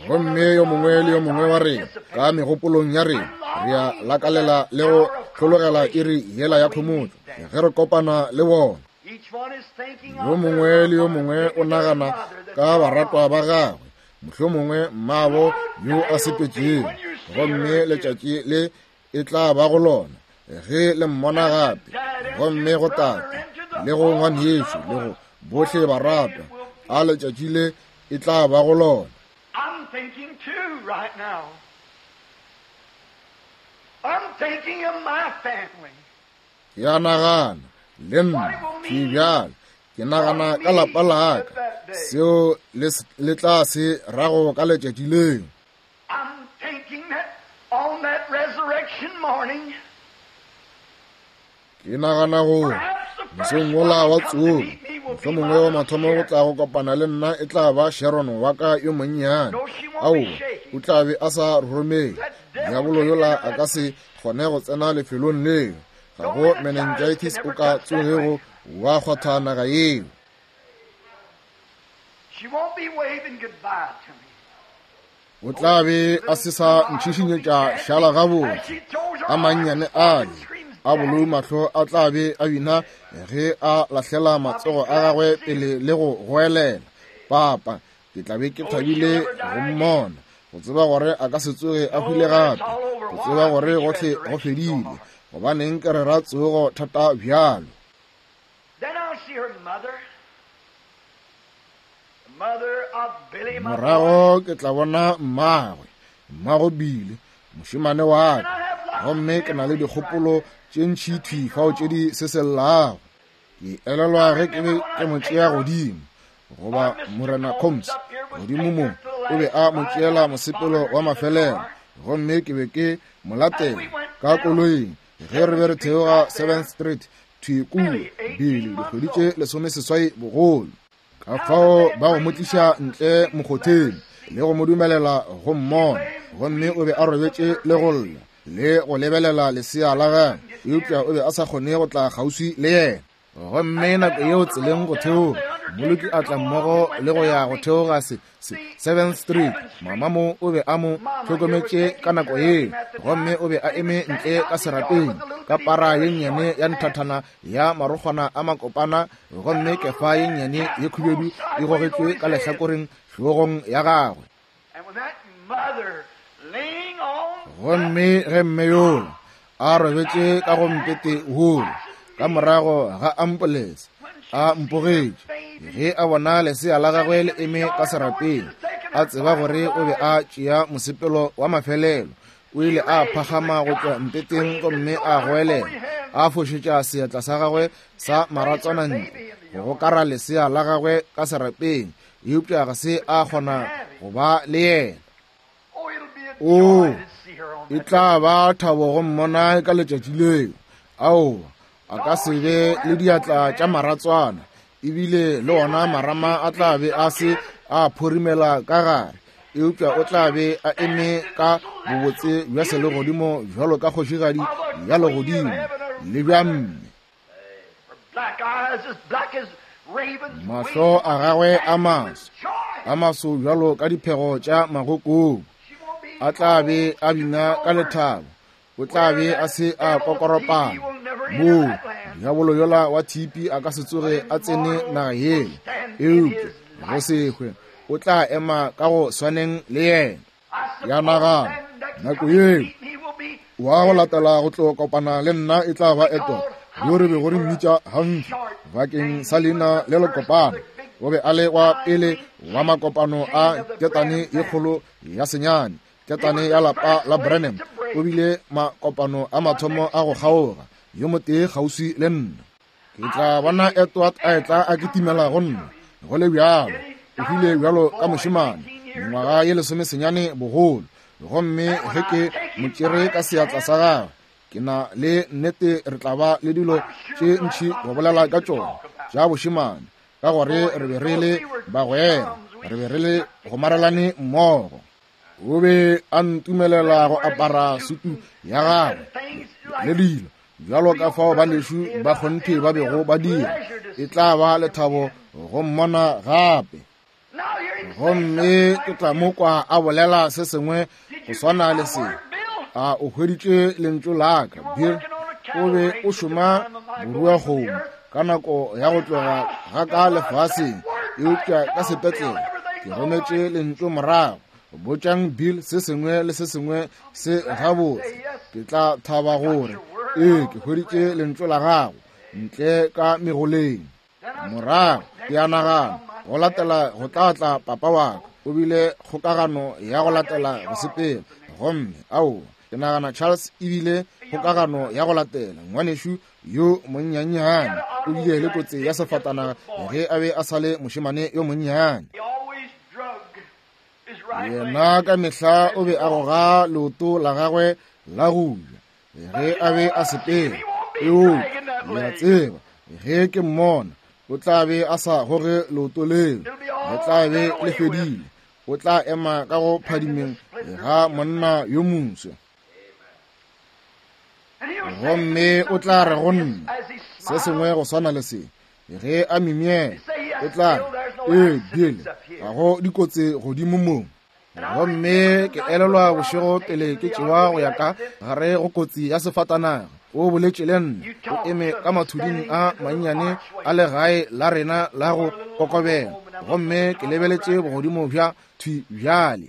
Gomme yo mongwe le yo mongwe wa rena ka megopolong ya rena re a lakalela le go hlologela iri yela ya khomotšo ge re kopana le bona.
Each one is thinking
Yo
of
mongwe le yo mongwe o nagana ka baratwa ba gagwe, mohlomongwe mmabo yo a sepetšego, gomme letšatši le e tla ba go lona ge le mmona gape, gomme go tate le go ngwanešo le go bohle baratwa, a letšatši le e tla ba go lona.
I'm thinking too right now. I'm thinking of my family.
Ke a nagana le nna ke bjalo, ke nagana ka lapa la ka, seo le, le tla se rago ka letšatši leo.
I'm thinking that on that resurrection morning,
Ke nagana gore
perhaps the first
mosong
one
wola wa
to come to
tsogo,
meet me will be
mohlomongwe
my
wa
little
mathomo go
Sharon.
tla go kopana le nna e tla ba Sharon wa ka yo monnyane.
No, she won't
Aowa,
be shaking.
o tla be a sa roromele.
That devil
Diabolo
can't
yola
enter
a ka
that
se kgone go tsena lefelong leo. Ga
No
go
meningitis
meningitis
can
o
ever
ka
touch that
tsogego
ground.
wa kgwatha naga yeo.
She won't be waving goodbye to me.
O tla be a se sa ntšhišinyetša šala gabotse. A mannyane ale a bolou mahlo a tla be a bina ge a lahlela matsogo a gagwe pele le go goelela, Papa, ke tla be ke thabile go mmona, go tseba gore a ka se tsoge a hwile gape, go tseba gore gohle go fedile. Gobaneng ke rera tsogo thata bjalo?
Then I'll see her mother, the mother of Billy, my boy.
Morago ke tla bona mmagwe, mmago Billy, mošemane wa ka, gomme ke na le dikgopolo tše ntši thwi fao tše di sesellago. Ke elelwa ge ke be ke mo tšea godimo, goba Morena Combs godimo mo o be a mo tšeela mosepelo wa mafelelo, gomme ke be ke mo latela ka koloing ge re be re theoga seventh Street thwi kua, Billy dikgwedi tše lesomeseswai bogolo. Ka fao ba go mo tliša ntle mokgotheng le go mo dumelela go mmona, gomme o be a robetše le go lla le go lebelela lesea la gagwe, eupša o be a sa kgone go tla kgauswi le yena. Gomme nako yeo tseleng go theoga, mmoloki a tla mmogo le go ya go theoga se, se seventh Street. Mama mo o be a mo hlokometše ka nako yeo, gomme o be a eme ntle ka serapeng ka para ye nnyane ya nthathana ya marokgwana a makopana, gomme kefa ye nnyane ye khubedu e gogetšwe ka lehlakoreng hlogong ya gagwe. Gomme ge mme yola a robetše ka go mpete wola ka morago ga ampolense, a mpogetše ge a bona lesea la gagwe le eme ka serapeng, a tseba gore o be a tšea mosepelo wa mafelelo. O ile a phagama go tšwa mpeteng gomme a goelela, a fošetša seatla sa gagwe sa maratswana ntle go gokara lesea la gagwe ka serapeng, eupša ga se a kgona go ba le yena. O, e tla ba thabo go mmona ka letšatši leo. Aowa, a ka se be le diatla tša maratswana, ebile le ona marama a tla be a se a phorimela ka gare, eupša o tla be a eme ka bobotse bja selegodimo bjalo ka kgošigadi ya legodimo le bja mme. Mahlo a gagwe a maso, a maso bjalo ka diphego tša magokobu, a tla be a bina ka lethabo. O tla be a se a kokoropana moo diabolo yola wa thipi a ka se tsoge a tsene naga yela, eupša go se hwe o tla ema ka go swaneng le yena. Ya nagana nako yeo wa go latela go tlo kopana le nna e tla ba Edward, yo re bego re mmitša Humphrey bakeng sa leina le lekopana. O be a le wa pele wa makopano a ketane ye kgolo ya senyane, ketane ya lapa la Branham. O bile makopano a mathomo a go kgaoga, yo motee kgauswi le nna. Ke tla bona Edward a etla a kitimela go nna, go le bjalo o hwile bjalo ka mošemane, mengwaga ye lesomesenyane bogolo. Gomme ge ke mo tšere ka seatla sa gagwe, ke na le nnete re tla ba le dilo tše ntši go bolela ka tšona tša bošemane, ka gore re be re le bagwera, re be re le gomarelane mmogo. O be a ntumelela go apara sutu ya gagwe le dilo bjalo ka fao banešu ba kgonthe ba bego ba dira. E tla ba lethabo go mmona gape. Gomme ke tla mo kwa a bolela se sengwe go swana le se. A o hweditše lentšu la ka, Bill? O be o šoma boruakgomo ka nako ya go tloga ga ka lefaseng, eupša ka sepetlele ke rometše lentšu morago. Botšang Bill se sengwe le se sengwe se gabotse. Ke tla thaba gore ee ke hweditše lentšu la gago ntle ka megoleng. Morago ke a nagana go latela go tla tla papa wa ka, o bile kgokagano ya go latela go sepela. Gomme aowa, ke nagana Charles ebile kgokagano ya go latela. Ngwanešu yo monnyannyane o bile le kotsi ya sefatanaga ge a be a sa le mošemane yo monnyane. Yena ka mehla o be a goga leoto la gagwe la go ja ge a be a sepela. Eupša le a tseba ge ke mmona o tla be a sa goge leoto leo, le tla be le fedile. O tla ema ka go phadimeng ga monna yo moswa, gomme o tla re go nna se sengwe go swana le se ge a mimiela. O tla re, ee Bill, ga go dikotsi godimo mo. Gomme ke elelwa bošego pele ke tšewa go ya ka gare go kotsi ya sefatanaga, o boletše le nna o eme ka mathuding a mannyane a legae la rena la go kokobela, gomme ke lebeletše bogodimo bja thwi bjale.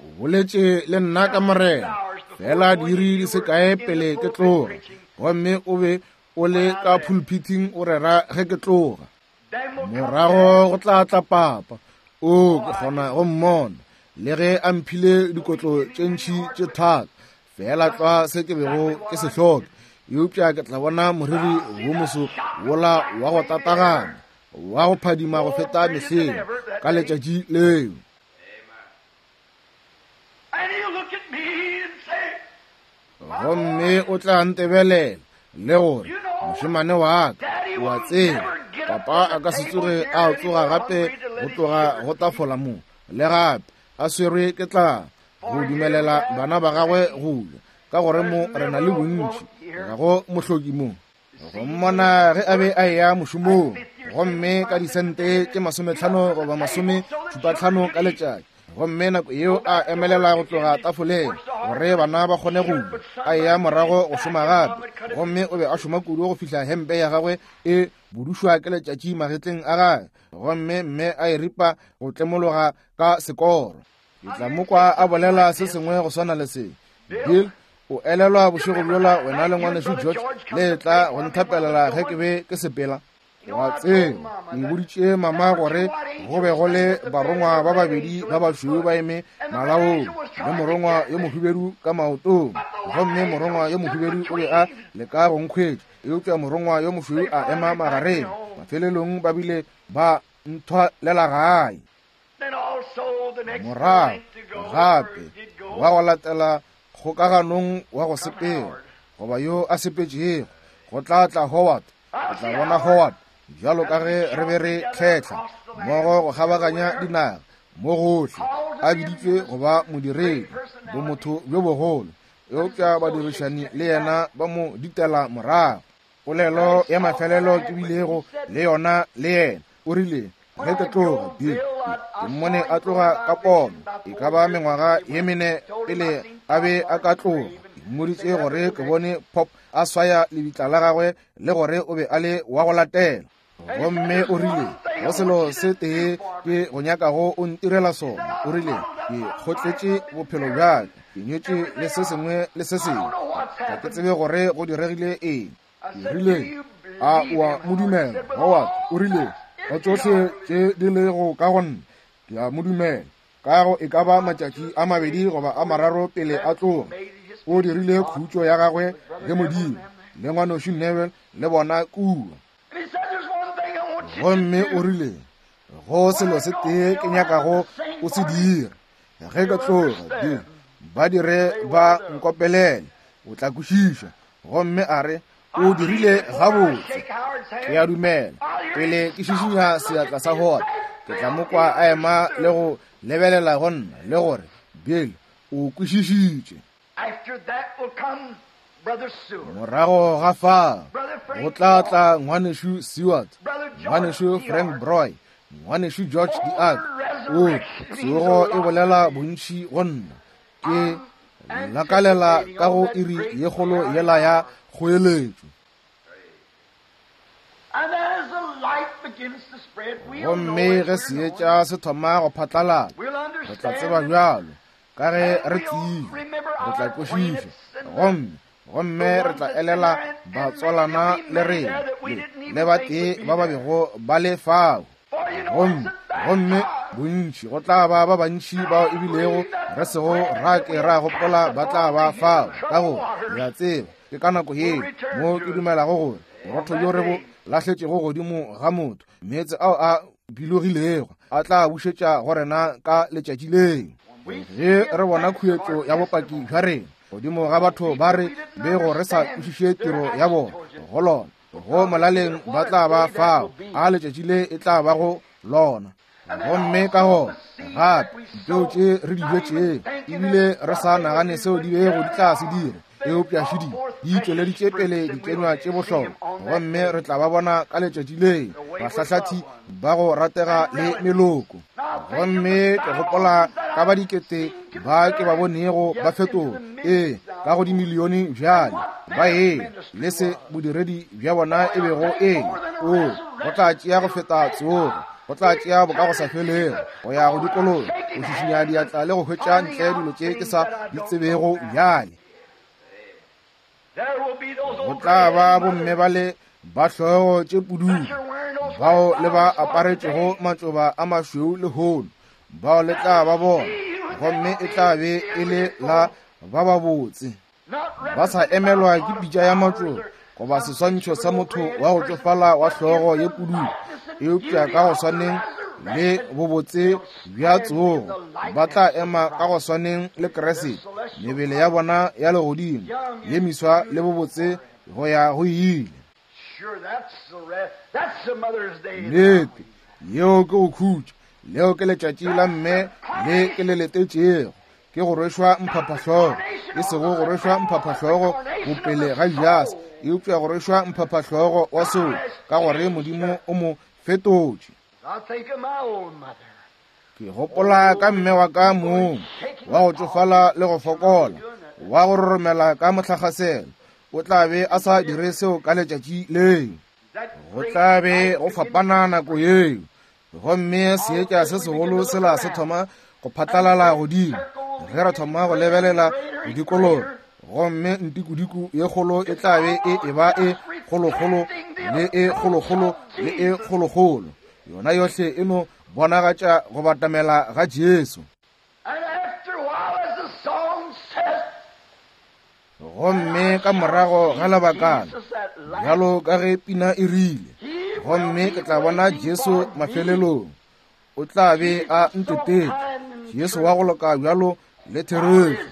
O boletše le nna ka Morena fela diiri di se kae pele ke tloga, gomme o be o le ka pulpiting o rera ge ke tloga. Morago go tla tla papa. O, ke kgona go mmona.
Le ge a mphile dikotlo tše ntši tše thata, fela tlwa se ke bego ke se hloka. Eupša ke tla bona moriri wo moso wola wa go tatagana, wa go phadima go feta mehleng ka letšatši leo. Gomme o tla ntebelela le gore, mošemane wa ka, o a tseba, papa a ka se tsoge a tsoga gape go tloga go tafola mo, le gape a swerwe ke tlala go dumelela bana ba gagwe go ja, ka gore mo re na le bontši, ga go mohloki mo. Go mmona ge a be a eya mošomong, gomme ka disente tše masometlhano goba masome šupatlhano ka letšatši, gomme nako yeo a emelela go tloga tafoleng gore bana ba kgone go ja, a eya morago go šoma gape. Gomme o be a šoma kudu go fihla hempe ya gagwe e budušwa ke letšatši magetleng a gagwe, gomme mme a e ripa go tlemologa ka sekoro. Ke tla mo kwa a bolela se sengwe go swana le se. Bill, o elelwa bošego bjola wena le ngwanešu George le tla go nthapelela ge ke be ke sepela? Wa tseba, ke boditše mama gore go be go le barongwa ba babedi ba bašweu ba eme malaong, le morongwa yo mohubedu ka maotong. Gomme morongwa yo mohubedu o be a leka go nkhwetša, eupša morongwa yo mošweu a ema magareng. Mafelelong ba bile ba nthwalela gae. Morago gape wa go latela kgokaganong wa go sepela, goba yo a sepetšego, go tla tla Howard. Ke tla bona Howard bjalo ka ge re be re tlhetla mmogo go kgabaganya dinaga mo gohle, a biditšwe go ba modiredi, bomotho bjo bogolo, eupša badirišani le yena ba mo ditela morago. Polelo ya mafelelo ke bilego le yona le yena, o rile, ge ke tloga, Bill, ke mmone a tloga ka pono, e ka ba mengwaga ye mene pele a be a ka tloga. Ke mmoditše gore ke bone Pop a swaya lebitla la gagwe le gore o be a le wa go latela. Gomme o rile, go selo se tee ke go nyakago o ntirela sona. O rile, ke kgotletše bophelo bja ka, ke nyetše le se sengwe le se sengwe, ga ke tsebe gore go diregile eng. Ke rile, a o a mo dumela, Howard? O rile, ka tšohle tše di lego ka go nna, ke a mo dumela. Ka go e ka ba matšatši a mabedi goba a mararo pele a tloga, o dirile khutšo ya gagwe le Modimo, le ngwanošu Neville le bona kua. Gomme o rile, go selo se tee ke nyakago o se dira, ge ke tloga, Bill, ba dire ba nkopelele, o tla kwešiša. Gomme a re, o dirile gabotse, ke a dumela. Pele ke šišinya seatla sa Howard, ke tla mo kwa a ema le go lebelela go nna le gore, Bill, o kwešišitše. Morago ga fao go tla tla ngwanešu Seward, ngwanešu Frank Broy, ngwanešu George Diak. O tsogo e bolela bontši go nna. Ke lakalela ka go iri ye kgolo yela ya kgoeletšo. Gomme ge seetša se thoma go phatlalala, re tla tseba bjalo ka ge re tsile, re tla kwešiša, gomme gomme re tla elela batswalana le rena le batee ba ba bego ba le fao. Gomme gomme bontši go tla ba ba bantši bao ebilego re sego ra ke ra gopola ba tla ba fao, ka gore re a tseba ke ka nako yeo mo ke dumelago gore borotho bjo re bo lahletšego godimo ga motho, meetse ao a bilogilego a tla bušetša go rena ka letšatši leo. Ge re bona khuetšo ya bopaki bja rena godimo ga batho ba re bego re sa kwešiše tiro ya bona go lona, go molaleng ba tla ba fao, a letšatši le e tla ba go lona. Gomme ka gona gape dipeo tše re di bjetšego ebile re sa nagane seo di bego di tla se dira, eupša šidi di tšweleditše pele dikenywa tše bohlokwa, gomme re tla ba bona ka letšatši leo, bahlahlathi ba go ratega le meloko. Gomme ke gopola ka ba dikete ba ke ba bonego ba fetola, ee, ka go dimilione bjale, ba ee le se bodiredi bja bona e bego e le. O go tla tšea go feta tsogo, go tla tšea boka go sa felego go ya go dikologa, go šišinya diatla le go hwetša ntle dilo tše ke sa di tsebego bjale. Go tla ba bomme ba le ba hlogo tše pududu, bao le ba aparetšego matšoba a mašweu lehono, bao le tla ba bona
gomme e tla be e le la ba babotse, ba sa emelwa ke pitša ya matšoba goba seswantšho sa motho wa go tšofala wa hlogo ye pududu, eupša ka go swaneng le bobotse bja tsogo ba tla ema ka go swaneng le Kriste, mebele ya bona ya legodimo ye miswa le bobotse go ya go ile. Nnete, yeo ke go khutša, leo ke letšatši la mme le ke le letetšego, ke go rwešwa mphaphahlogo, e sego go rwešwa mphaphahlogo bopele ga Judase, eupša go rwešwa mphaphahlogo wa seo, ka gore Modimo o mo fetotše. Ke gopola ka mme wa ka mong wa go tšofala le go fokola, wa go roromela ka mohlakgaselo, o tla be a sa dire seo ka letšatši leo. Go tla be go fapana nako yeo, gomme seetša se segolo sela se thoma go phatlalala godimo ge re thoma go lebelela go dikologa, gomme ntikudiku ye kgolo e tla be e eba e kgolokgolo le e kgolokgolo le e kgolokgolo, yona yohle e no bonagatša go batamela ga Jesu. Gomme ka morago ga lebakana, bjalo ka ge pina e rile, gomme ke tla bona Jesu mafelelong, o tla be a ntetetše, Jesu wa go loka bjalo le therešo,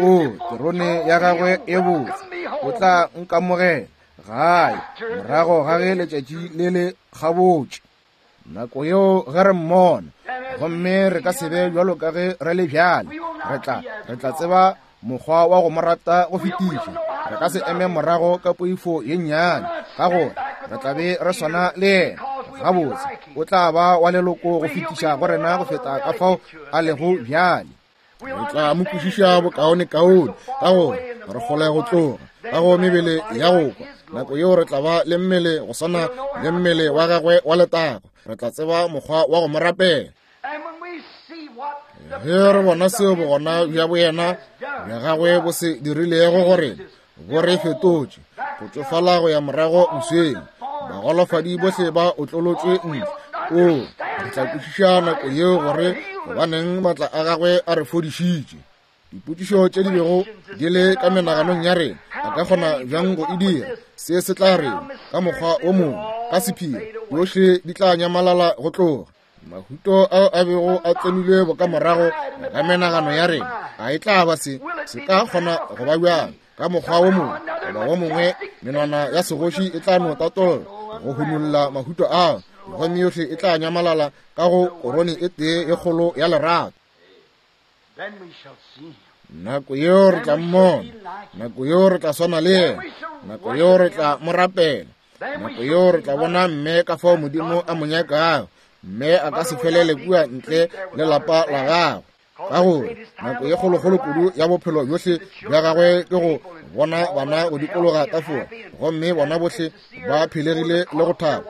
o terone ya gagwe e botse, o tla nkamogela gae morago ga ge letšatši le le gabotše. Nako yeo ge re mmona, gomme re ka se be bjalo ka ge re le bjale, re tla re tla tseba mokgwa wa go mo rata go fetiša. Re ka se eme morago ka poifo ye nnyane, ka gore re tla be re swana le yena. Gabotse o tla ba wa leloko go fetiša go rena go feta ka fao a lego bjale. Re tla mo kwešiša bokaonekaone, ka gore re kgole go tloga ka go mebele ya go kwa. Nako yeo re tla ba le mmele go swana le mmele wa gagwe wa letago, re tla tseba mokgwa wa go mo rapela. Ge re bona seo bogona bja boyena bja gagwe bo se dirilego gore bo re fetotše, go tšofala go ya morago mosweng, bagolofadi bohle ba otlolotšwe ntle, o re tla kwešiša nako yeo gore gobaneng maatla a gagwe a re fodišitše. Dipotšišo tše di bego di le ka menaganong ya rena, a ka kgona bjang go e dira? Se se tla reng ka mokgwa o mongwe, ka sephiri, yohle di tla nyamalala go tloga. Mahuto ao a bego a tsenilwe bokamorago ga menagano ya rena, a e tla ba se se ka kgona go ba bjang ka mokgwa wo mongwe goba wo mongwe? Menwana ya segoši e tla no tatolla go hunolla mahuto ao, gomme yohle e tla nyamalala ka go korone e tee e kgolo ya lerato. Nako yeo re tla mmona, nako yeo re tla swana le yena, nako yeo re tla mo rapela, nako yeo re tla bona mme ka fao Modimo a mo nyakago, mme a ka se felele kua ntle le lapa la gagwe, ka gore nako ye kgolokgolo kudu ya bophelo bjohle bja gagwe ke go bona bana go dikologa tafola, gomme bona bohle ba phelegile le go thaba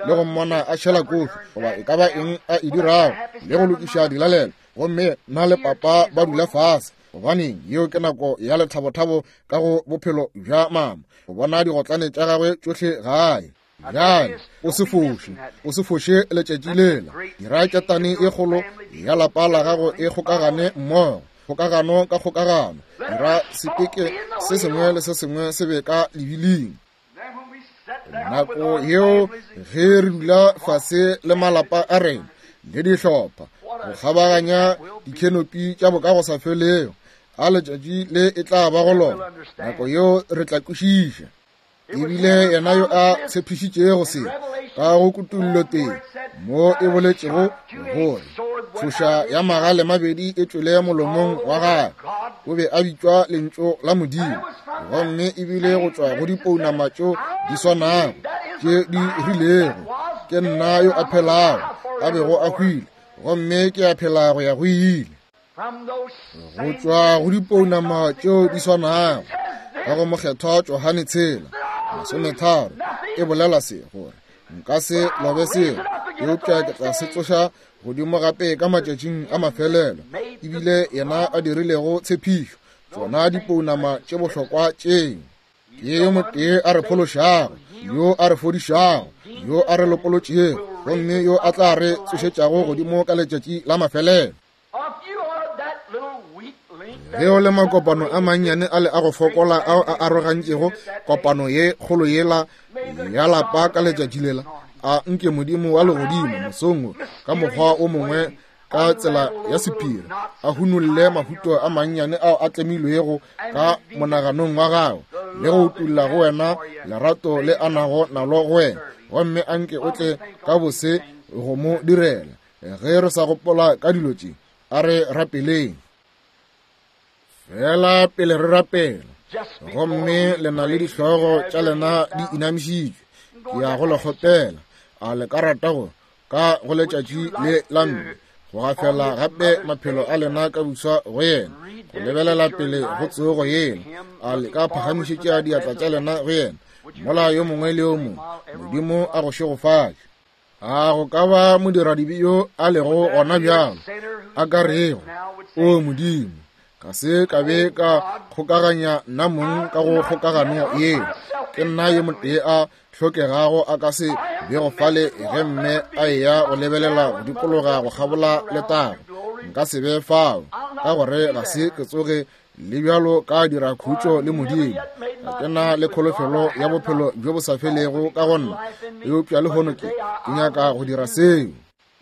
le go mmona a šela kofi goba e ka ba eng a e dirago, le go lokiša dilalelo, gomme nna le papa ba dula fase. Gobaneng, yeo ke nako ya lethabothabo ka go bophelo bja mama, go bona digotlane tša gagwe tšohle gae. Bjale o se foše, o se foše letšatši lela. Dira ketane e kgolo ya lapa la gago e kgokagane mmogo, kgokagano ka kgokagano. Dira sepeke se sengwe le se sengwe se be ka lebiling. Nako yeo ge re dula fase le malapa a rena le dihlopha go kgabaganya dikhenopi tša bokagosafelego, a letšatši le e tla ba go lona. Nako yeo re tla kwešiša. Ebile yena yo a tshepišitšego se ka go kutullo teng, mo e boletšego gore tšhoša ya magale mabedi e tšwele molomong wa gagwe, o be a bitšwa lentšu la Modimo, gomme ebile go tšwa go dipounama tšeo di swanago tše di rilego, ke nna yo a phelago, a bego a hwile, gomme ke a phela go ya go ile. Go tšwa go dipounama tšeo di swanago ka go mokgethwa Johane tshela masometharo e bolela se, gore nka se lobe seo, eupša ke tla se tsoša godimo gape ka matšatšing a mafelelo. Ebile yena a dirilego tshepišo, tšona dipounama tše bohlokwa tšeo, ke yo motee a re phološago, yo a re fodišago, yo a re lopolotšego, gomme yo a tla re tsošetšago godimo ka letšatši la mafelelo. Ge o le makopano a mannyane a le a go fokola ao a arogantšego kopano ye kgolo yela ya lapa ka letšatši lela, a nke Modimo wa legodimo mosong wo ka mokgwa o mongwe ka tsela ya sephiri a hunolle mahuto a mannyane ao a tlemilwego ka monaganong wa gago le go utulla go wena lerato le a nago nalo go wena, gomme a nke o tle ka bose go mo direla. Ge re sa gopola ka dilo tše, a re rapeleng. Fela pele re rapela, gomme le na le dihlogo tša lena di inamišitšwe, ke ya go le kgopela, a le ka rata go ka go letšatši le la mme go gafela gape maphelo a lena ka buswa go yena, go lebelela pele go tsogo yela, a le ka phagamišetša diatla tša lena go yena, mola yo mongwe le yo mongwe, Modimo a go šegofatše. A go ka ba modiradibe yo a lego gona bjalo a ka rego, o Modimo, ga se ka be ka kgokaganya nna mong ka go kgokagano yeo, ke nna yo motee a hlokegago a ka se bego fale ge mme a eya go lebelela go dikologa go kgabola letago, nka se be fao, ka gore ga se ke tsoge le bjalo ka dira khutšo le Modimo. Ga ke na le kholofelo ya bophelo bjo bo sa felego ka go nna, eupša lehono ke ke nyaka go dira seo.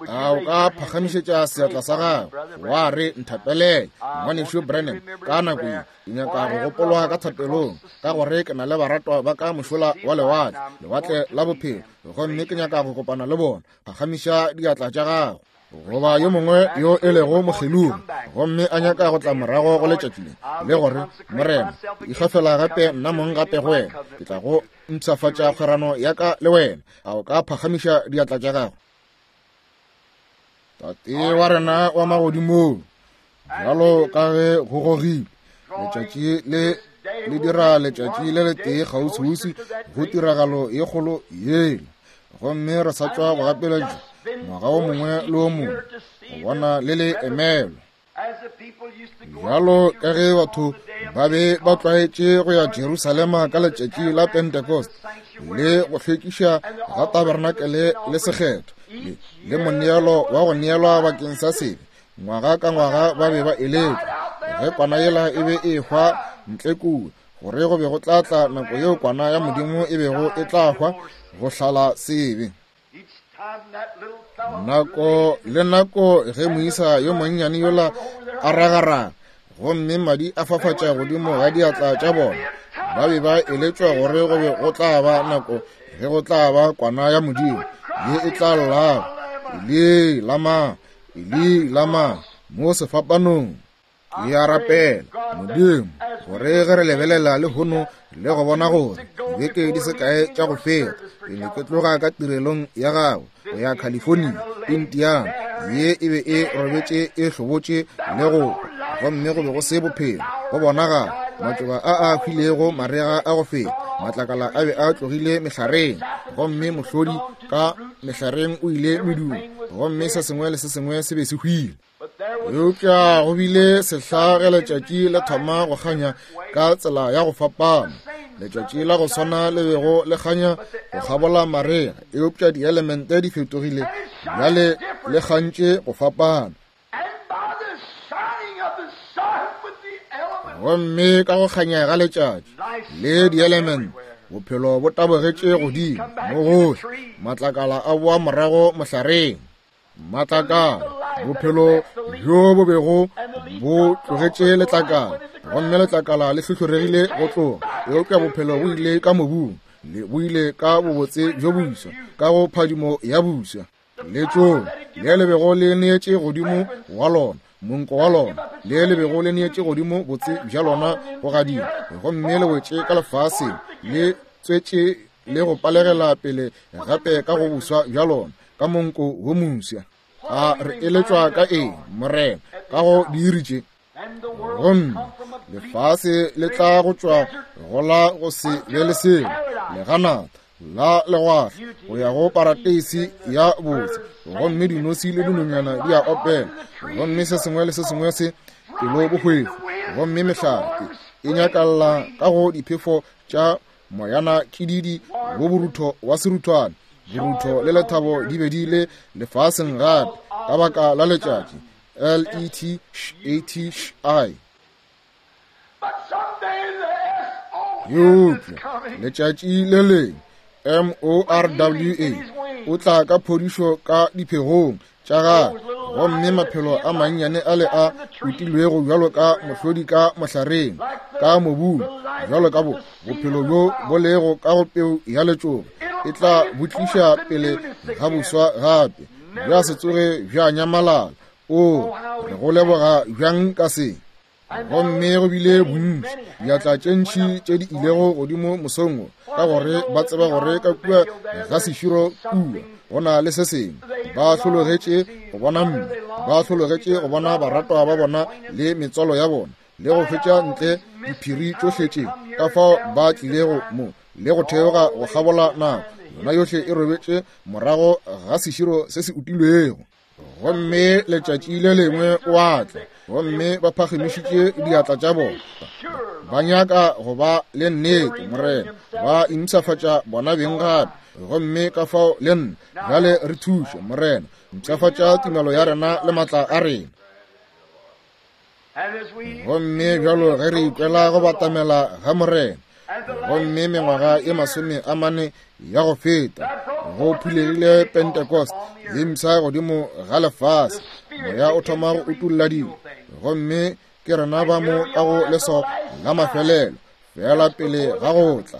A o ka phagamišetša seatla sa gago wa re, nthapelele ngwanešu Branham, ka nako ye ke nyaka go gopolwa ka thapelong, ka gore ke na le baratwa ba ka mošola wa lewatle, lewatle la bophelo, gomme ke nyaka go kopana le bona. Phagamiša diatla tša gago. Goba yo mongwe yo e lego mokgelogi gomme a nyaka go tla morago go letšatši le, le gore, Morena, ikgafela gape nna mong gape go wena, ke tla go mpshafatša kgwerano ya ka le wena. A o ka phagamiša diatla tša gago? Tate wa rena wa magodimong, bjalo ka ge go gogile letšatši le le dira letšatši le letee kgauswiuswi go tiragalo ye kgolo yela, gomme re sa tšwa go gapeletšwa ngwaga o mongwe le o mongwe go bona le le emelwa. Bjalo ka ge batho ba be ba tlwaetše go ya Jerusalema ka letšatši la Pentecost le go hlwekiša ga tabernakele le sekgetho le, le moneelo wa go neelwa bakeng sa sebe, ngwaga ka ngwaga ba be ba eletšwa ge kwana yela e be e hwa ntle kua, gore go be go tla tla nako yeo kwana ya Modimo e bego e tla hwa go hlala sebe. Nako le nako ge moisa yo monnyane yola a ragaraga gomme madi a fafatša godimo ga diatla tša bona, ba be ba eletšwa gore go be go tla ba nako ge go tla ba kwana ya Modimo ye e tla llago, Eli lama, Eli lama, mo sefapanong. Ke a rapela Modimo gore ge re lebelela lehono le go bona gore dibeke di se kae tša go feta ke ne ke tloga ka tirelong ya gago go ya California, Indiana ye e be e robetše e hlobotše le go, gomme go be go se bophelo go bonagala matšoba a a hwilego marega a go feta, matlakala a be a tlogile mehlareng, gomme mohlodi ka mehlareng o ile medumo, gomme se sengwe le se sengwe se be se hwile. Eupša go bile sehla ge letšatši le thoma go kganya ka tsela ya go fapana, letšatši la go swana le bego le kganya go kgabola marega, eupša dielemente di fetogile bjale le kgantše go fapana. Gomme ka go kganya ga letšatši le dielemente, bophelo bo tabogetše godimo mo gohle, matlakala a boa morago mohlareng. Matlakala, bophelo bjo bo bego bo tlogetše letlakala, gomme letlakala le hlohloregile go tloga, eupša bophelo bo ile ka mobung, le bo ile ka bobotse bjo boswa, ka go phadimo ya buswa. Letšoba le le bego le neetše godimo wa lona, monko wa lona, le le bego le neetše godimo botse bja lona go gadima, gomme le wetše ka lefaseng, le tswetše le go palegela pele gape ka go buswa bja lona, ka monko wo moswa. A re eletšwa ka eng, Morena, ka go diiri tše? Gomme lefase le tla go tšwa go la go se be le selo, leganata la legwahla go ya go parateisi ya botse, gomme dinosi le dinonyana di a opela, gomme se sengwe le se sengwe se pelo bohwefo, gomme mehlare e nyakalla ka go diphefo tša moyana kididi bo borutho wa seruthwane. Borutho le lethabo di be di le lefaseng gape ka baka la letšatši L E T H A T I. Eupša letšatši le lengwe M O R W A o tla ka phodišo ka diphegong tša gagwe, gomme maphelo a mannyane ale a utilwego bjalo ka mohlodi ka mohlareng ka mobung, bjalo ka bo bophelo bjo bo lego ka go peu ya letšoba, e tla bo tliša pele ga boswa gape, bja se tsoge bja nyamalala. O re go leboga bjang ka se. Gomme go bile bontši diatla tše ntši tše di ilego godimo mosong wo, ka gore ba tseba gore ka kua ga seširo kua go na le se sengwe. Ba hlologetše go bona mme, ba hlologetše go bona baratwa ba bona le metswalo ya bona, le go fetša ntle diphiri tšohle tše ka fao ba tlilego mo le go theoga go kgabola nako yona yohle e robetše morago ga seširo se se utilwego. Gomme letšatši le lengwe o a tla, gomme ba phagamišitše diatla tša bona, ba nyaka go ba le nnete, Morena, ba impshafatša bona beng gape. Gomme ka fao le nna bjale re thuše, Morena, mpshafatša tumelo ya rena le maatla a rena. Gomme bjalo ge re ikwela go batamela ga Morena, gomme mengwaga e masome a mane ya go feta go phulegile Pentecost ye mpsha godimo ga lefase, moya o thoma go utulla dilo, gomme ke rena ba mo ka go leswao la mafelelo fela pele ga go tla.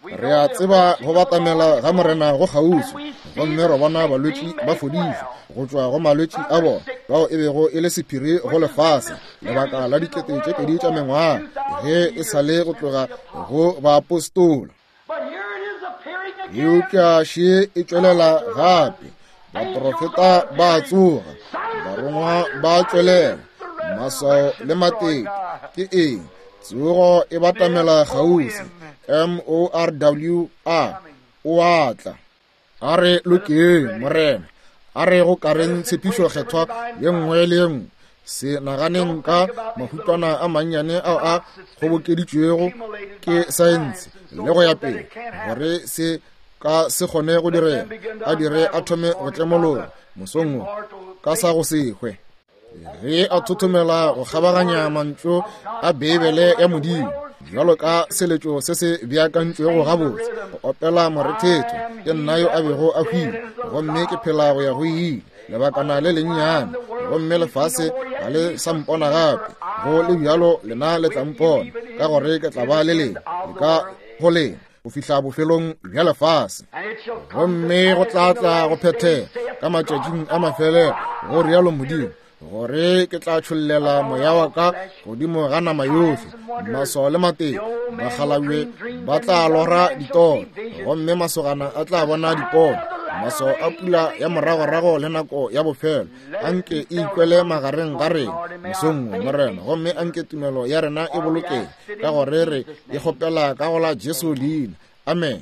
Re a tseba go batamela ga Morena go kgauswi, gomme re bona balwetši ba fodišwa go tšwa go malwetši a bona bao e bego e le sephiri go lefase lebaka la dikete tše pedi tša mengwaga ge e sa le go tloga go baapostola. Eupša še e tšwelela gape, baprofeta ba tsoga, barongwa ba tšwelela, maswao le matete ke eng? Tsogo e batamela kgauswi. M O R W A o a tla. A re lokeng, Morena, a re go kareng tshepišo kgethwa ye nngwe le ye nngwe. Se naganeng ka mahutwana a mannyane ao a kgobokeditšwego ke saense le go ya pele, gore se ka se kgone go direga, a dire a thome go tlemologa mosong wo ka sa go se hwe. Ge a thothomela go kgabaganya mantšu a Beibele ya Modimo bjalo ka seletšo se se beakantšwego gabotse, go opela morethetho, ke nna yo a bego a hwile, gomme ke phela go ya go ile lebakana le lennyane, gomme lefase ga le sa mpona gape. Go le bjalo lena le tla mpona, ka gore ke tla ba le lena le ka go lena go fihla bofelong bja lefase. Gomme go tla tla go phethega ka matšatšing a mafelelo, go rialo Modimo, gore ke tla tšhollela moya wa ka godimo ga nama yohle, maswao le matete, bakgalabje ba tla lora ditoro, gomme masogana a tla bona dipono, maswao a pula ya moragorago le nako ya bofelo. Anke e ikwele magareng ga rena mosong wo, Morena, gomme anke tumelo ya rena e bolokege, ka gore re e kgopela ka go la Jesu leina. Amen.